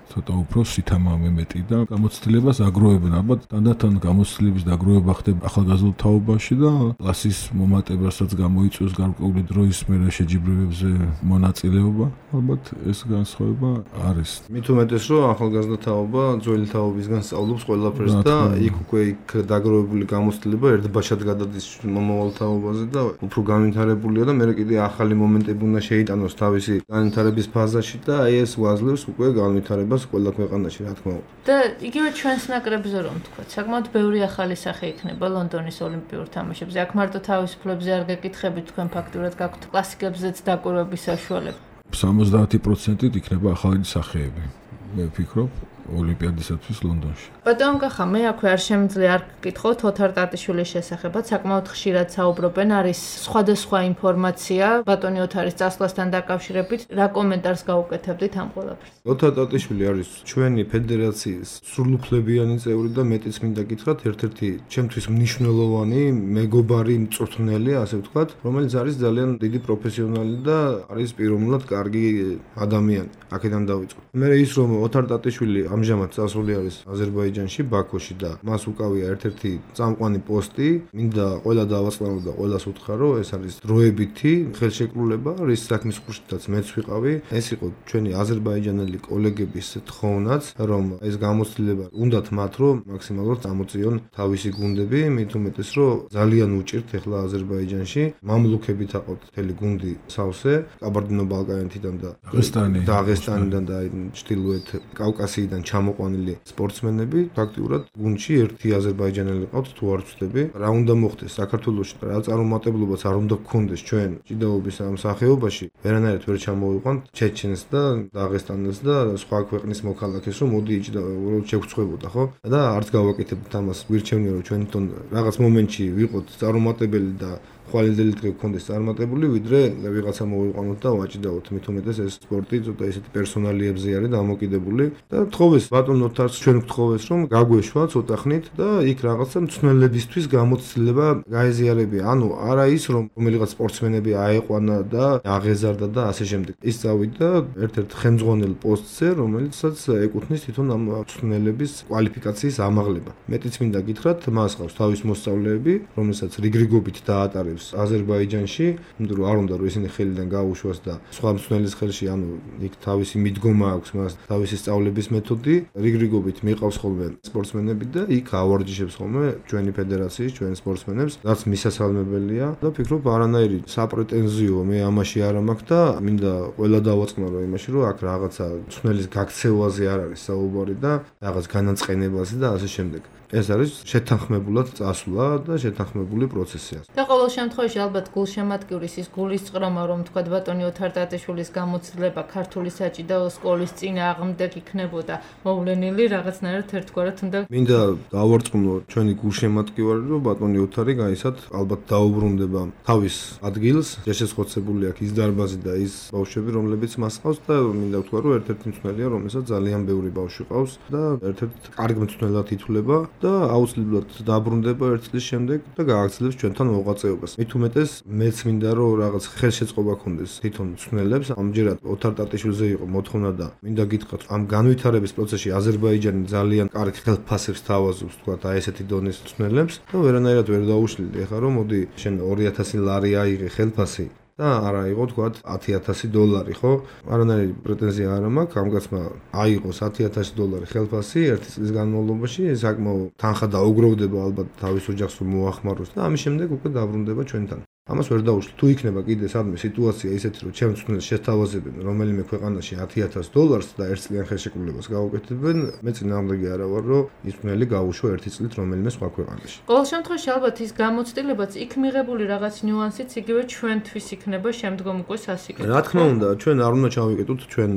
ცოტა უფრო სითამამე მეტი და გამოცდილებას აგროვებენ. ალბათ თანდათან გამოცდილების დაგროვება ხდება ახალგაზრდულ თაობაში და კლასის მომატებასაც გამოიწვევს გარკვეული დროის მერე შეჯიბრებებზე მონაწილეობა. ალბათ ეს განსხვავება არის. მით უმეტეს, რომ ახალგაზრდა თაობა ძველი თაობისგან სწავლობს ყველაფერს და იქ უკვე იქ დაგროვებული გამოცდილება ერთბაშად გადადის მომავალ თაობაზე და უფრო განვითარებულია და მერე კიდე ახალი მომენტები უნდა შეიტანოს თავისი განვითარების ფაზაში და აი ეს გვაძლევს უკვე განვითარებას ყველა ქვეყანაში, რა თქმა უნდა. და იგივე ჩვენს ნაკრებზე რომ თქვა, საკმაოდ ბევრი ახალი სახე იქნება ლონდონის ოლიმპიურ თამაშებზე. აქ მარტო თავისუფლებზე არ გეკითხებით, თქვენ ფაქტურად გაქვთ კლასიკებზეც დაკვირვების საშუალება. სამოცდაათი პროცენტით იქნება ახალი სახეები. მე ვფიქრობ ოლიმპიადისათვის ლონდონში. ბატონ კახა, მე აქვე არ შემიძლია არ გკითხოთ ოთარ ტატიშვილის შესახებაც, საკმაოდ ხშირად საუბრობენ, არის სხვადასხვა ინფორმაცია ბატონი ოთარის წასვლასთან დაკავშირებით, რა კომენტარს გაუკეთებდით ამ ყველაფერს? ოთარ ტატიშვილი არის ჩვენი ფედერაციის სრულუფლებიანი წევრი და მეტიც მინდა გითხრათ, ერთ-ერთი ჩემთვის მნიშვნელოვანი, მეგობარი, მწვრთნელი, ასე ვთქვათ, რომელიც არის ძალიან დიდი პროფესიონალი და არის პიროვნულად კარგი ადამიანი. აქედან დავიწყო. მე ის რომ ოთარ ტატიშვილი ამჟამად წასული არის აზერბაიჯანში, ბაქოში და მას უკავია ერთ-ერთი წამყვანი პოსტი. მინდა ყველა დავაწყლავო და ყველას უთხრა, ეს არის დროებითი ხელშეკრულება, რის საქმის ხუშტაც მეც ვიყავი. ეს იყო ჩვენი აზერბაიჯანელი კოლეგების თხოვნაც, რომ ეს გამოცდილება უნდათ მათ, რომ მაქსიმალურად წამოწიონ თავისი გუნდები, მით უმეტეს, რომ ძალიან უჭირთ ახლა აზერბაიჯანში. მამლუქებით აყავთ მთელი გუნდი სავსე, კაბარდინო-ბალკანეთიდან და დაღესტანი დაღესტანიდან და ჩრდილოეთ კავკასიიდან ჩამოყვანილი სპორტსმენები, ფაქტიურად გუნდში ერთი აზერბაიჯანელი ყავთ თუ არ ვცდები. რა უნდა მოხდეს საქართველოში, რა წარუმატებლობაც არ უნდა გქონდეს ჩვენ ჭიდაობის ამ სახეობაში, ვერანაირად ვერ ჩამოვიყვანთ ჩეჩენს და დაღესტანელს და სხვა ქვეყნის მოქალაქეს, რომ მოდი ჭიდაობა შეგწყვებოდა, ხო? და არც გავაკეთებთ ამას. გვირჩევნია რომ ჩვენ თვითონ რაღაც მომენტში ვიყოთ წარუმატებელი და ხვალინდელი დღე გქონდეს წარმატებული, ვიდრე ვიღაცა მოვიყვანოთ და ვაჭიდაოთ. მით უმეტეს ეს სპორტი ცოტა ისეთი პერსონალიებზე არის დამოკიდებული და თხოვეს ბატონ ნოთარს ჩვენ გთხოვეს რომ გაგვეშვა ცოტა ხნით და იქ რაღაცა მწვრთნელებისთვის გამოცდილება გაეზიარებია. ანუ არა ის რომ რომელიღაც სპორტსმენები აეყვანა და აღეზარდა და ასე შემდეგ. ის წავიდა ერთ-ერთ ხელმძღვანელ პოსტზე, რომელიცაც ეკუთვნის თვითონ ამ მწვრთნელების კვალიფიკაციის ამაღლება. მეტიც მინდა გითხრათ, მას ყავს თავის მოსწავლეები, რომელსაც რიგრიგობით დაატარებს აზერბაიჯანში, იმიტომ რომ არ უნდა რომ ისინი ხელიდან გაუშვას და სხვა მწვრთნელის ხელში, ანუ იქ თავისი მიდგომა აქვს მას, თავისი სწავლების მეთოდი, რიგრიგობით მიყავს ხოლმე სპორტსმენები და იქ ავარჯიშებს ხოლმე ჩვენი ფედერაციის, ჩვენ სპორტსმენებს, რაც მისასალმებელია და ფიქრობ არანაირი საპრეტენზიო მე ამაში არ მაქვს და მინდა ყველა დავაწყნარო იმაში, რომ აქ რაღაცა მწვრთნელის გაქცევაზე არ არის საუბარი და რაღაც განაწყენებაზე და ასე შემდეგ. ეს არის შეთანხმებულად წასვლა და შეთანხმებული პროცესია. და ყოველ შემთხვევაში ალბათ გულშემატკივრის ის გულისწყრომა, რომ თქვა ბატონი ოთარ ტატიშვილის გამოცდილება ქართული საჭიდაო სკოლის წინააღმდეგ იქნებოდა მოვლენილი, რაღაცნაირად ერთგვარად უნდა მინდა დავარწმუნო ჩვენი გულშემატკივარი, რომ ბატონი ოთარი გაისად ალბათ დაუბრუნდება თავის ადგილს, შესაძლებელი აქვს ის დარბაზი და ის ბავშვები, რომლებიც მას ყავს და მინდა ვთქვა, რომ ერთ-ერთი მწვრთნელია, რომელსაც ძალიან ბევრი ბავშვი ყავს და ერთ-ერთ კარგ მწვრთნელად ითვლება. და აუცილებლად დაბრუნდება ერთ წლის შემდეგ და გააგრძელებს ჩვენთან მოღვაწეობას. მით უმეტეს მეც მინდა რომ რაღაც ხელშეწყობა ქონდეს თვითონ მწვრთნელებს. ამჯერად ოთარ ტატიშვილზე იყო მოთხოვნა და მინდა გითხრათ, ამ განვითარების პროცესში აზერბაიჯანი ძალიან კარგ ხელფასებს თავაზობს, თქვა და ესეთი დონის მწვრთნელებს და ვერანაირად ვერ დაუშლილი. ეხლა რომ მოდი შენ ორი ათასი ლარი აიღე ხელფასი და არა იყო თქვა ათი ათასი დოლარი, ხო? არანაირი პრეტენზია არ მაქვს, ამ კაცმა აიღოს ათი ათასი დოლარი ხელფასი ერთი წლის განმავლობაში, საკმაო თანხა დაუგროვდება ალბათ თავის ოჯახს რომ მოახმაროს და ამის შემდეგ უკვე დაბრუნდება ჩვენთან. ამას ვერ დაუშლი. თუ იქნება კიდე სადმე სიტუაცია ისეთი, რომ ჩემს მწვრთნელს შეთავაზებენ რომელიმე ქვეყანაში ათი ათასი დოლარს და ერთ წლიან ხელშეკრულებას გაუკეთებენ, მე წინააღმდეგი არა ვარ, რომ ის მწვრთნელი გაუშვა ერთი წლით რომელიმე სხვა ქვეყანაში. ყოველ შემთხვევაში ალბათ ის გამოცდილებაც იქ მიღებული რაღაც ნიუანსიც იგივე ჩვენთვის იქნება შემდგომ უკვე სასიკეთო. რა თქმა უნდა, ჩვენ არ უნდა ჩავიკეტოთ ჩვენ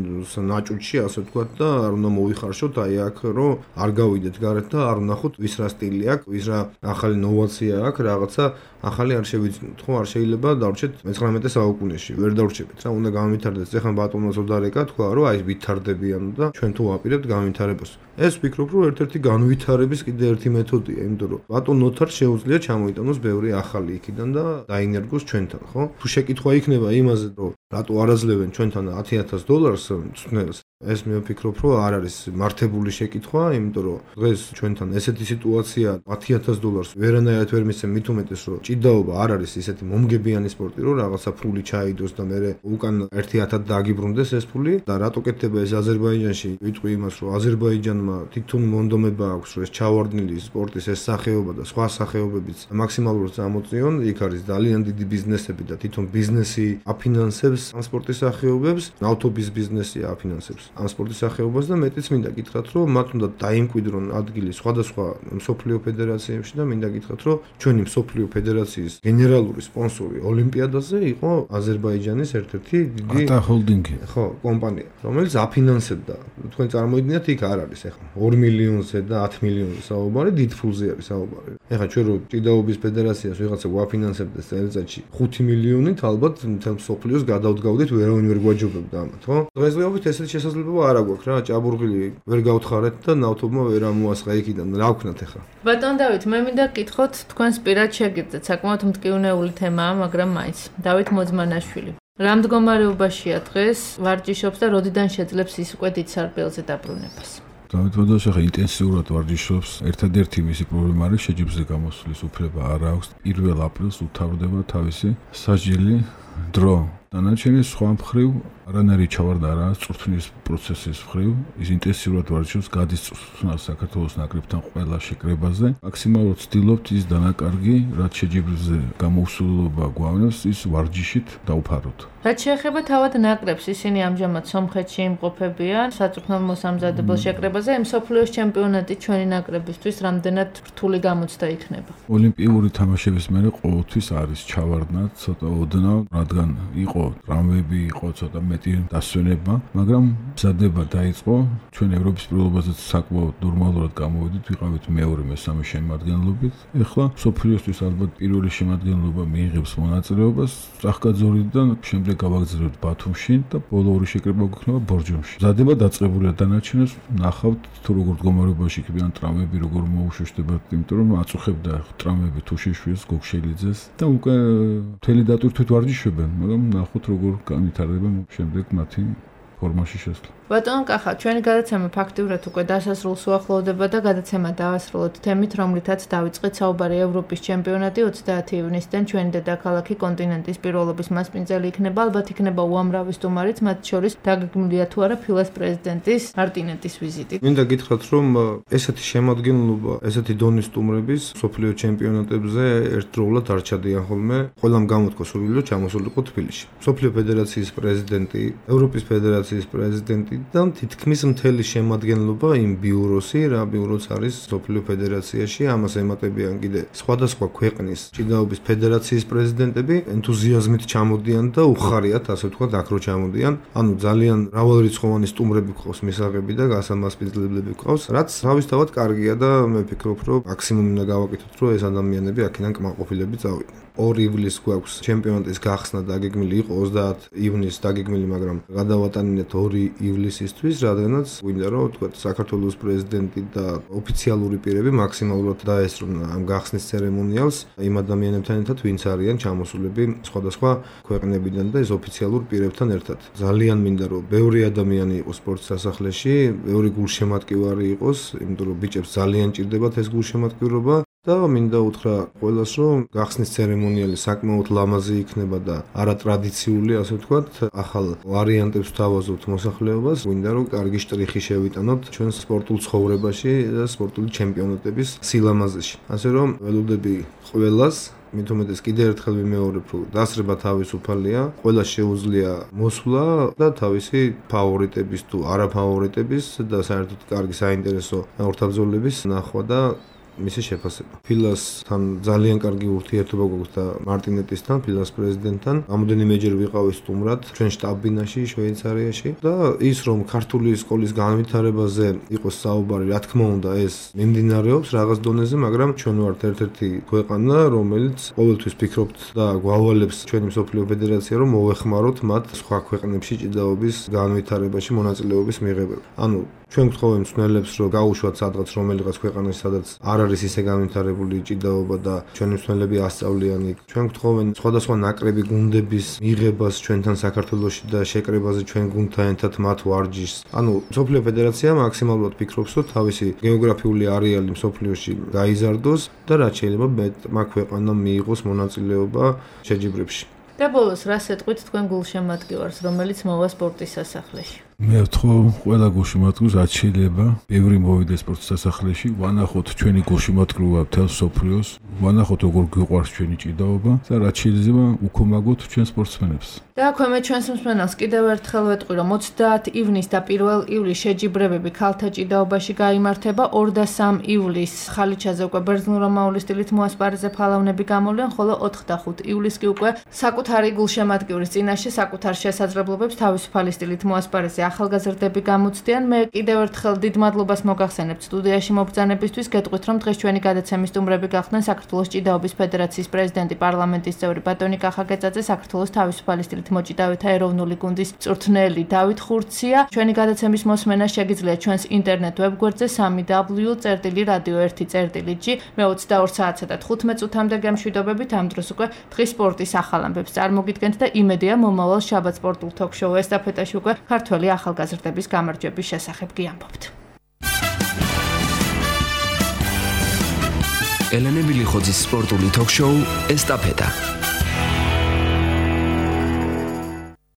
ნაჭუჭში, ასე ვთქვათ და არ უნდა მოვიხარშოთ აი აქ, რომ არ გავიდეთ გარეთ და არ ვნახოთ ვის რა სტილი აქვს, ვის რა ახალი ნოვაცია აქვს, რაღაცა ახალი არ შევიძინოთ, ხო? არ შეიძლება დავრჩეთ მეცხრამეტე საუკუნეში, ვერ დავრჩებით რა, უნდა განვითარდეს. ეხლა ბატონოს ოდარეკა თქვა, რომ აი ვითარდებიან და ჩვენ თუ ვაპირებთ განვითარებას. ეს ვფიქრობ, რომ ერთ-ერთი განვითარების კიდე ერთი მეთოდია, იმიტომ რომ ბატონ ოთარს შეუძლია ჩამოიტანოს ბევრი ახალი იქიდან და დაინერგოს ჩვენთან, ხო? თუ შეკითხვა იქნება იმაზე, რომ რატო არ აძლევენ ჩვენთან ათი ათასი დოლარს მწვრთნელს, ეს მე ვფიქრობ, რომ არ არის მართებული შეკითხვა, იმიტომ რომ დღეს ჩვენთან ესეთი სიტუაცია ათი ათასი დოლარს ვერანაირად ვერ მისცემ, მით უმეტეს რომ ჭიდაობა არ არის ისეთი მომგებიანი სპორტი, რომ რაღაცა ფული ჩაიდოს და მე უკან ერთი ათად დაგიბრუნდეს ეს ფული და რატო კეთდება ეს აზერბაიჯანში? ვიტყვი იმას, რომ აზერბაიჯანმა თვითონ მონდომება აქვს, რომ ეს ჩავარდნილი სპორტის ეს სახეობა და სხვა სახეობებიც მაქსიმალურად წამოწიონ. იქ არის ძალიან დიდი ბიზნესები და თვითონ ბიზნესი აფინანსებს ამ სპორტის სახეობებს, ავტობის ბიზნესი აფინანსებს ამ სპორტის სახეობას და მეტიც მინდა გითხრათ, რომ მათ უნდა დაიმკვიდრონ ადგილი სხვადასხვა მსოფლიო ფედერაციებში და მინდა გითხრათ, რომ ჩვენი მსოფლიო ფედერაციის გენერალური სპონსორი ოლიმპიადაზე იყო აზერბაიჯანის ერთ-ერთი დიდი ატა ჰოლდინგი. ხო, კომპანია, რომელიც აფინანსებდა. თქვენ წარმოიდგინეთ, იქ არ არის ახლა ორი მილიონზე და ათი მილიონზე საუბარი, დიდ ფულზე არის საუბარი. ახლა ჩვენ რო ჭიდაობის ფედერაციას ვიღაცა გვაფინანსებდეს წელიწადში ხუთი მილიონით, ალბათ მთელ მსოფლიოს გადავდგავდით, ვერავინ ვერ გვაჯობებდა ამათ, ხო? დღესდღეობით ესეთი შესაძლებლობა არ აქვს რა, ჭაბურღილი ვერ გავთხარეთ და ნავთობმა ვერ ამოასყა იქიდან. რა ვქნათ ახლა? ბატონ დავით, მე მინდა გკითხოთ, თქვენს პირად შეგიძლიათ, საკმაოდ მტკივნეული თემაა, მაგრამ მაინც. დავით მოძმანაშვილი. რა მდგომარეობაშია დღეს, ვარჯიშობს და როდიდან შეძლებს ის უკვე დიდ სარბიელზე დაბრუნებას? დავით მოძმანაშვილი ახლა ინტენსიურად ვარჯიშობს. ერთადერთი მისი პრობლემა არის შეჯიბრზე გამოსვლის უფლება არ აქვს. პირველ აპრილს უთავრდება თავისი სასჯელი დრო დანარჩენი სხვა მხრივ არანაირი ჩავარდა არა წვრთნის პროცესის მხრივ, ის ინტენსიურად ვარჯიშობს, გადის წვრთნას საქართველოს ნაკრებთან ყველა შეკრებაზე. მაქსიმალურად ვცდილობთ ის დანაკარგი, რაც შეჯიბრზე გამოუსულობა გვავნებს, ის ვარჯიშით დავფაროთ. რაც შეეხება თავად ნაკრებს, ისინი ამჟამად სომხეთში იმყოფებიან საწვრთნელ მოსამზადებელ შეკრებაზე, მსოფლიოს ჩემპიონატი ჩვენი ნაკრებისთვის რამდენად რთული გამოცდა იქნება. ოლიმპიური თამაშების მერე ყოველთვის არის ჩავარდნა, ცოტა ოდნავ, რადგან იყო ტრამვები, იყო ცოტა მეტი დასვენება, მაგრამ მზადება დაიწყო, ჩვენ ევროპის პირველობაზეც საკმაოდ ნორმალურად გამოვედით, ვიყავით მეორე მესამე შემადგენლობით. ეხლა მსოფლიოსთვის ალბათ პირველი შემადგენლობა მიიღებს მონაწილეობას წახკაძორიდან, შემდეგ გავაგზავნებთ ბათუმში და ბოლო ორი შეკრება გვექნება ბორჯომში. მზადება დაწყებულია, დანარჩენებს ნახავთ თუ როგორ მდგომარეობაში იქებიან ტრამვები, როგორ მოუშვეშდებათ, იმიტომ რომ აწუხებდა ტრამვები თუშიშვილს, გოგშელიძეს და უკვე მთელი დატვირთვით ვარჯიშობენ, მაგრამ ნახოთ როგორ განვითარდება შემდეგ მათი ფორმაში შესვლა. ბატონო კახა, ჩვენი გადაცემა ფაქტიურად უკვე დასასრულს უახლოვდება და გადაცემა დავასრულოთ თემით, რომლითაც დავიწყეთ საუბარი ევროპის ჩემპიონატი ოცდაათი ივნისიდან ჩვენი დედაქალაქი კონტინენტის პირველობის მასპინძელი იქნება, ალბათ იქნება უამრავი სტუმარიც, მათ შორის დაგეგმილია თუ არა ფილას პრეზიდენტის მარტინეტის ვიზიტი. მინდა გითხრათ, რომ ესეთი შემადგენლობა, ესეთი დონის სტუმრების მსოფლიო ჩემპიონატებზე ერთდროულად არ ჩადიან ხოლმე, ყველამ გამოთქვა სურვილი რომ ჩამოსულიყო თბილისში. მსოფლიო ფედერაციის პრეზიდენტი, ევროპის ფედერაციის პრეზიდენტი და თითქმის მთელი შემადგენლობა იმ ბიუროსი, რა ბიუროც არის მსოფლიო ფედერაციაში, ამას ემატებიან კიდე სხვადასხვა ქვეყნის ჭიდაობის ფედერაციის პრეზიდენტები, ენთუზიაზმით ჩამოდიან და უხარიათ, ასე ვთქვათ, აქ რო ჩამოდიან. ანუ ძალიან მრავალრიცხოვანი სტუმრები გვყავს, მისაღები და გასამასპინძლებლები გვყავს, რაც თავისთავად კარგია და მე ვფიქრობ, რომ მაქსიმუმ უნდა გავაკეთოთ, რომ ეს ადამიანები აქედან კმაყოფილები წავიდნენ. ორი ივლისს გვაქვს ჩემპიონატის გახსნა დაგეგმილი იყო ოცდაათი ივნისს დაგეგმილი, მაგრამ გადავატანინეთ ორი ივლისისთვის, რადგანაც გვინდა რომ თქვათ საქართველოს პრეზიდენტი და ოფიციალური პირები მაქსიმალურად დაესწრნენ ამ გახსნის ცერემონიალს იმ ადამიანებთან ერთად, ვინც არიან ჩამოსულები სხვადასხვა ქვეყნებიდან და ეს ოფიციალურ პირებთან ერთად. ძალიან მინდა რომ ბევრი ადამიანი იყოს სპორტ სასახლეში, ბევრი გულშემატკივარი იყოს, იმიტომ რომ ბიჭებს ძალიან ჭირდებათ ეს გულშემატკივრობა. და მინდა უთხრა ყველას, რომ გახსნის ცერემონიალი საკმაოდ ლამაზი იქნება და არატრადიციული, ასე ვთქვათ, ახალ ვარიანტებს ვთავაზობთ მოსახლეობას. მინდა რომ კარგი შტრიხი შევიტანოთ ჩვენ სპორტულ ცხოვრებაში და სპორტული ჩემპიონატების სილამაზეში. ასე რომ ველოდები ყველას, მით უმეტეს კიდევ ერთხელ ვიმეორებ, რომ დასრება თავისუფალია, ყველას შეუძლია მოსვლა და თავისი ფავორიტების თუ არაფავორიტების და საერთოდ კარგი საინტერესო ორთაბრძოლების ნახვა და მისი შეფასება. ფილასთან ძალიან კარგი ურთიერთობა გვაქვს და მარტინეტისთან, ფილას პრეზიდენტთან. რამოდენიმეჯერ ვიყავი სტუმრად ჩვენ შტაბ-ბინაში შვეიცარიაში და ის რომ ქართული სკოლის განვითარებაზე იყოს საუბარი, რა თქმა უნდა, ეს მიმდინარეობს რაღაც დონეზე, მაგრამ ჩვენ ვართ ერთ-ერთი ქვეყანა, რომელიც ყოველთვის ფიქრობთ და გვავალებს ჩვენი მსოფლიო ფედერაცია, რომ მოვეხმაროთ მათ სხვა ქვეყნებში ჭიდაობის განვითარებაში მონაწილეობის მიღებაზე. ანუ ჩვენ გთხოვენ მსმენელებს, რომ გაუშვათ სადღაც რომელიღაც ქვეყანაში, სადაც არ არის ისე განვითარებული ჭიდაობა და ჩვენი მსმენელები ასწავლიან იქ. ჩვენ გთხოვენ სხვადასხვა ნაკრები გუნდების მიღებას ჩვენთან საქართველოში და შეკრებაზე ჩვენ გუნდთან ერთად მათ ვარჯიშს. ანუ მსოფლიო ფედერაცია მაქსიმალურად ფიქრობს, რომ თავისი გეოგრაფიული არეალი მსოფლიოში გაიზარდოს და რაც შეიძლება მეტმა ქვეყანამ მიიღოს მონაწილეობა შეჯიბრებში. და ბოლოს რას ეტყვით თქვენ გულშემატკივარს, რომელიც მოვა სპორტის სასახლეში? მე ვთქო ყველა გულშემატკივრს რაც შეიძლება ბევრი მოვიდეს სპორტის სასახლეში, ვანახოთ ჩვენი გულშემატკივრობა მთელ მსოფლიოს, ვანახოთ როგორ გვიყვარს ჩვენი ჭიდაობა და რაც შეიძლება უქომაგოთ ჩვენ სპორტსმენებს. და აქვე მე ჩვენს მსმენელს კიდევ ერთხელ ვეტყვი, რომ ოცდაათი ივნისს და პირველ ივლისს შეჯიბრებები ქალთა ჭიდაობაში გაიმართება, ორ და სამ ივლისს ხალიჩაზე უკვე ბერძნულ-რომაული სტილით მოასპარეზე ფალავნები გამოვლენ, ხოლო ოთხ და ხუთ ივლისს კი უკვე საკუთარი გულშემატკივრის წინაშე საკუთარ შესაძლებლობებს თავისუფალი სტილით მოასპარეზე ახალგაზრდები გამოცდიან. მე კიდევ ერთხელ დიდ მადლობას მოგახსენებთ სტუდიაში მობრძანებისთვის. გეტყვით, რომ დღეს ჩვენი გადაცემის სტუმრები გახდნენ საქართველოს ჭიდაობის ფედერაციის პრეზიდენტი, პარლამენტის წევრი ბატონი კახა გეწაძე, საქართველოს თავისუფალი სტილით მოჭიდავეთა ეროვნული გუნდის მწვრთნელი დავით ხურცია. ჩვენი გადაცემის მოსმენა შეგიძლიათ ჩვენს ინტერნეტ ვებგვერდზე სამი დაბლიუ წერტილი რადიო ერთი წერტილი ჯი. მე ოცდაორ საათსა და თხუთმეტ წუთამდე გემშვიდობებით. ამ დროს უკვე დღის სპორტის ახალ ამბებს წარმოგიდგენთ და იმედია მომავალ შაბათ სპორტულ თოქ-შოუ ესტაფეტაში უკვე ქართველი ახალგაზრდების გამარჯვების შესახებ გიამბობთ. ელენე ბილიხოძის სპორტული თოქ-შოუ ესტაფეტა.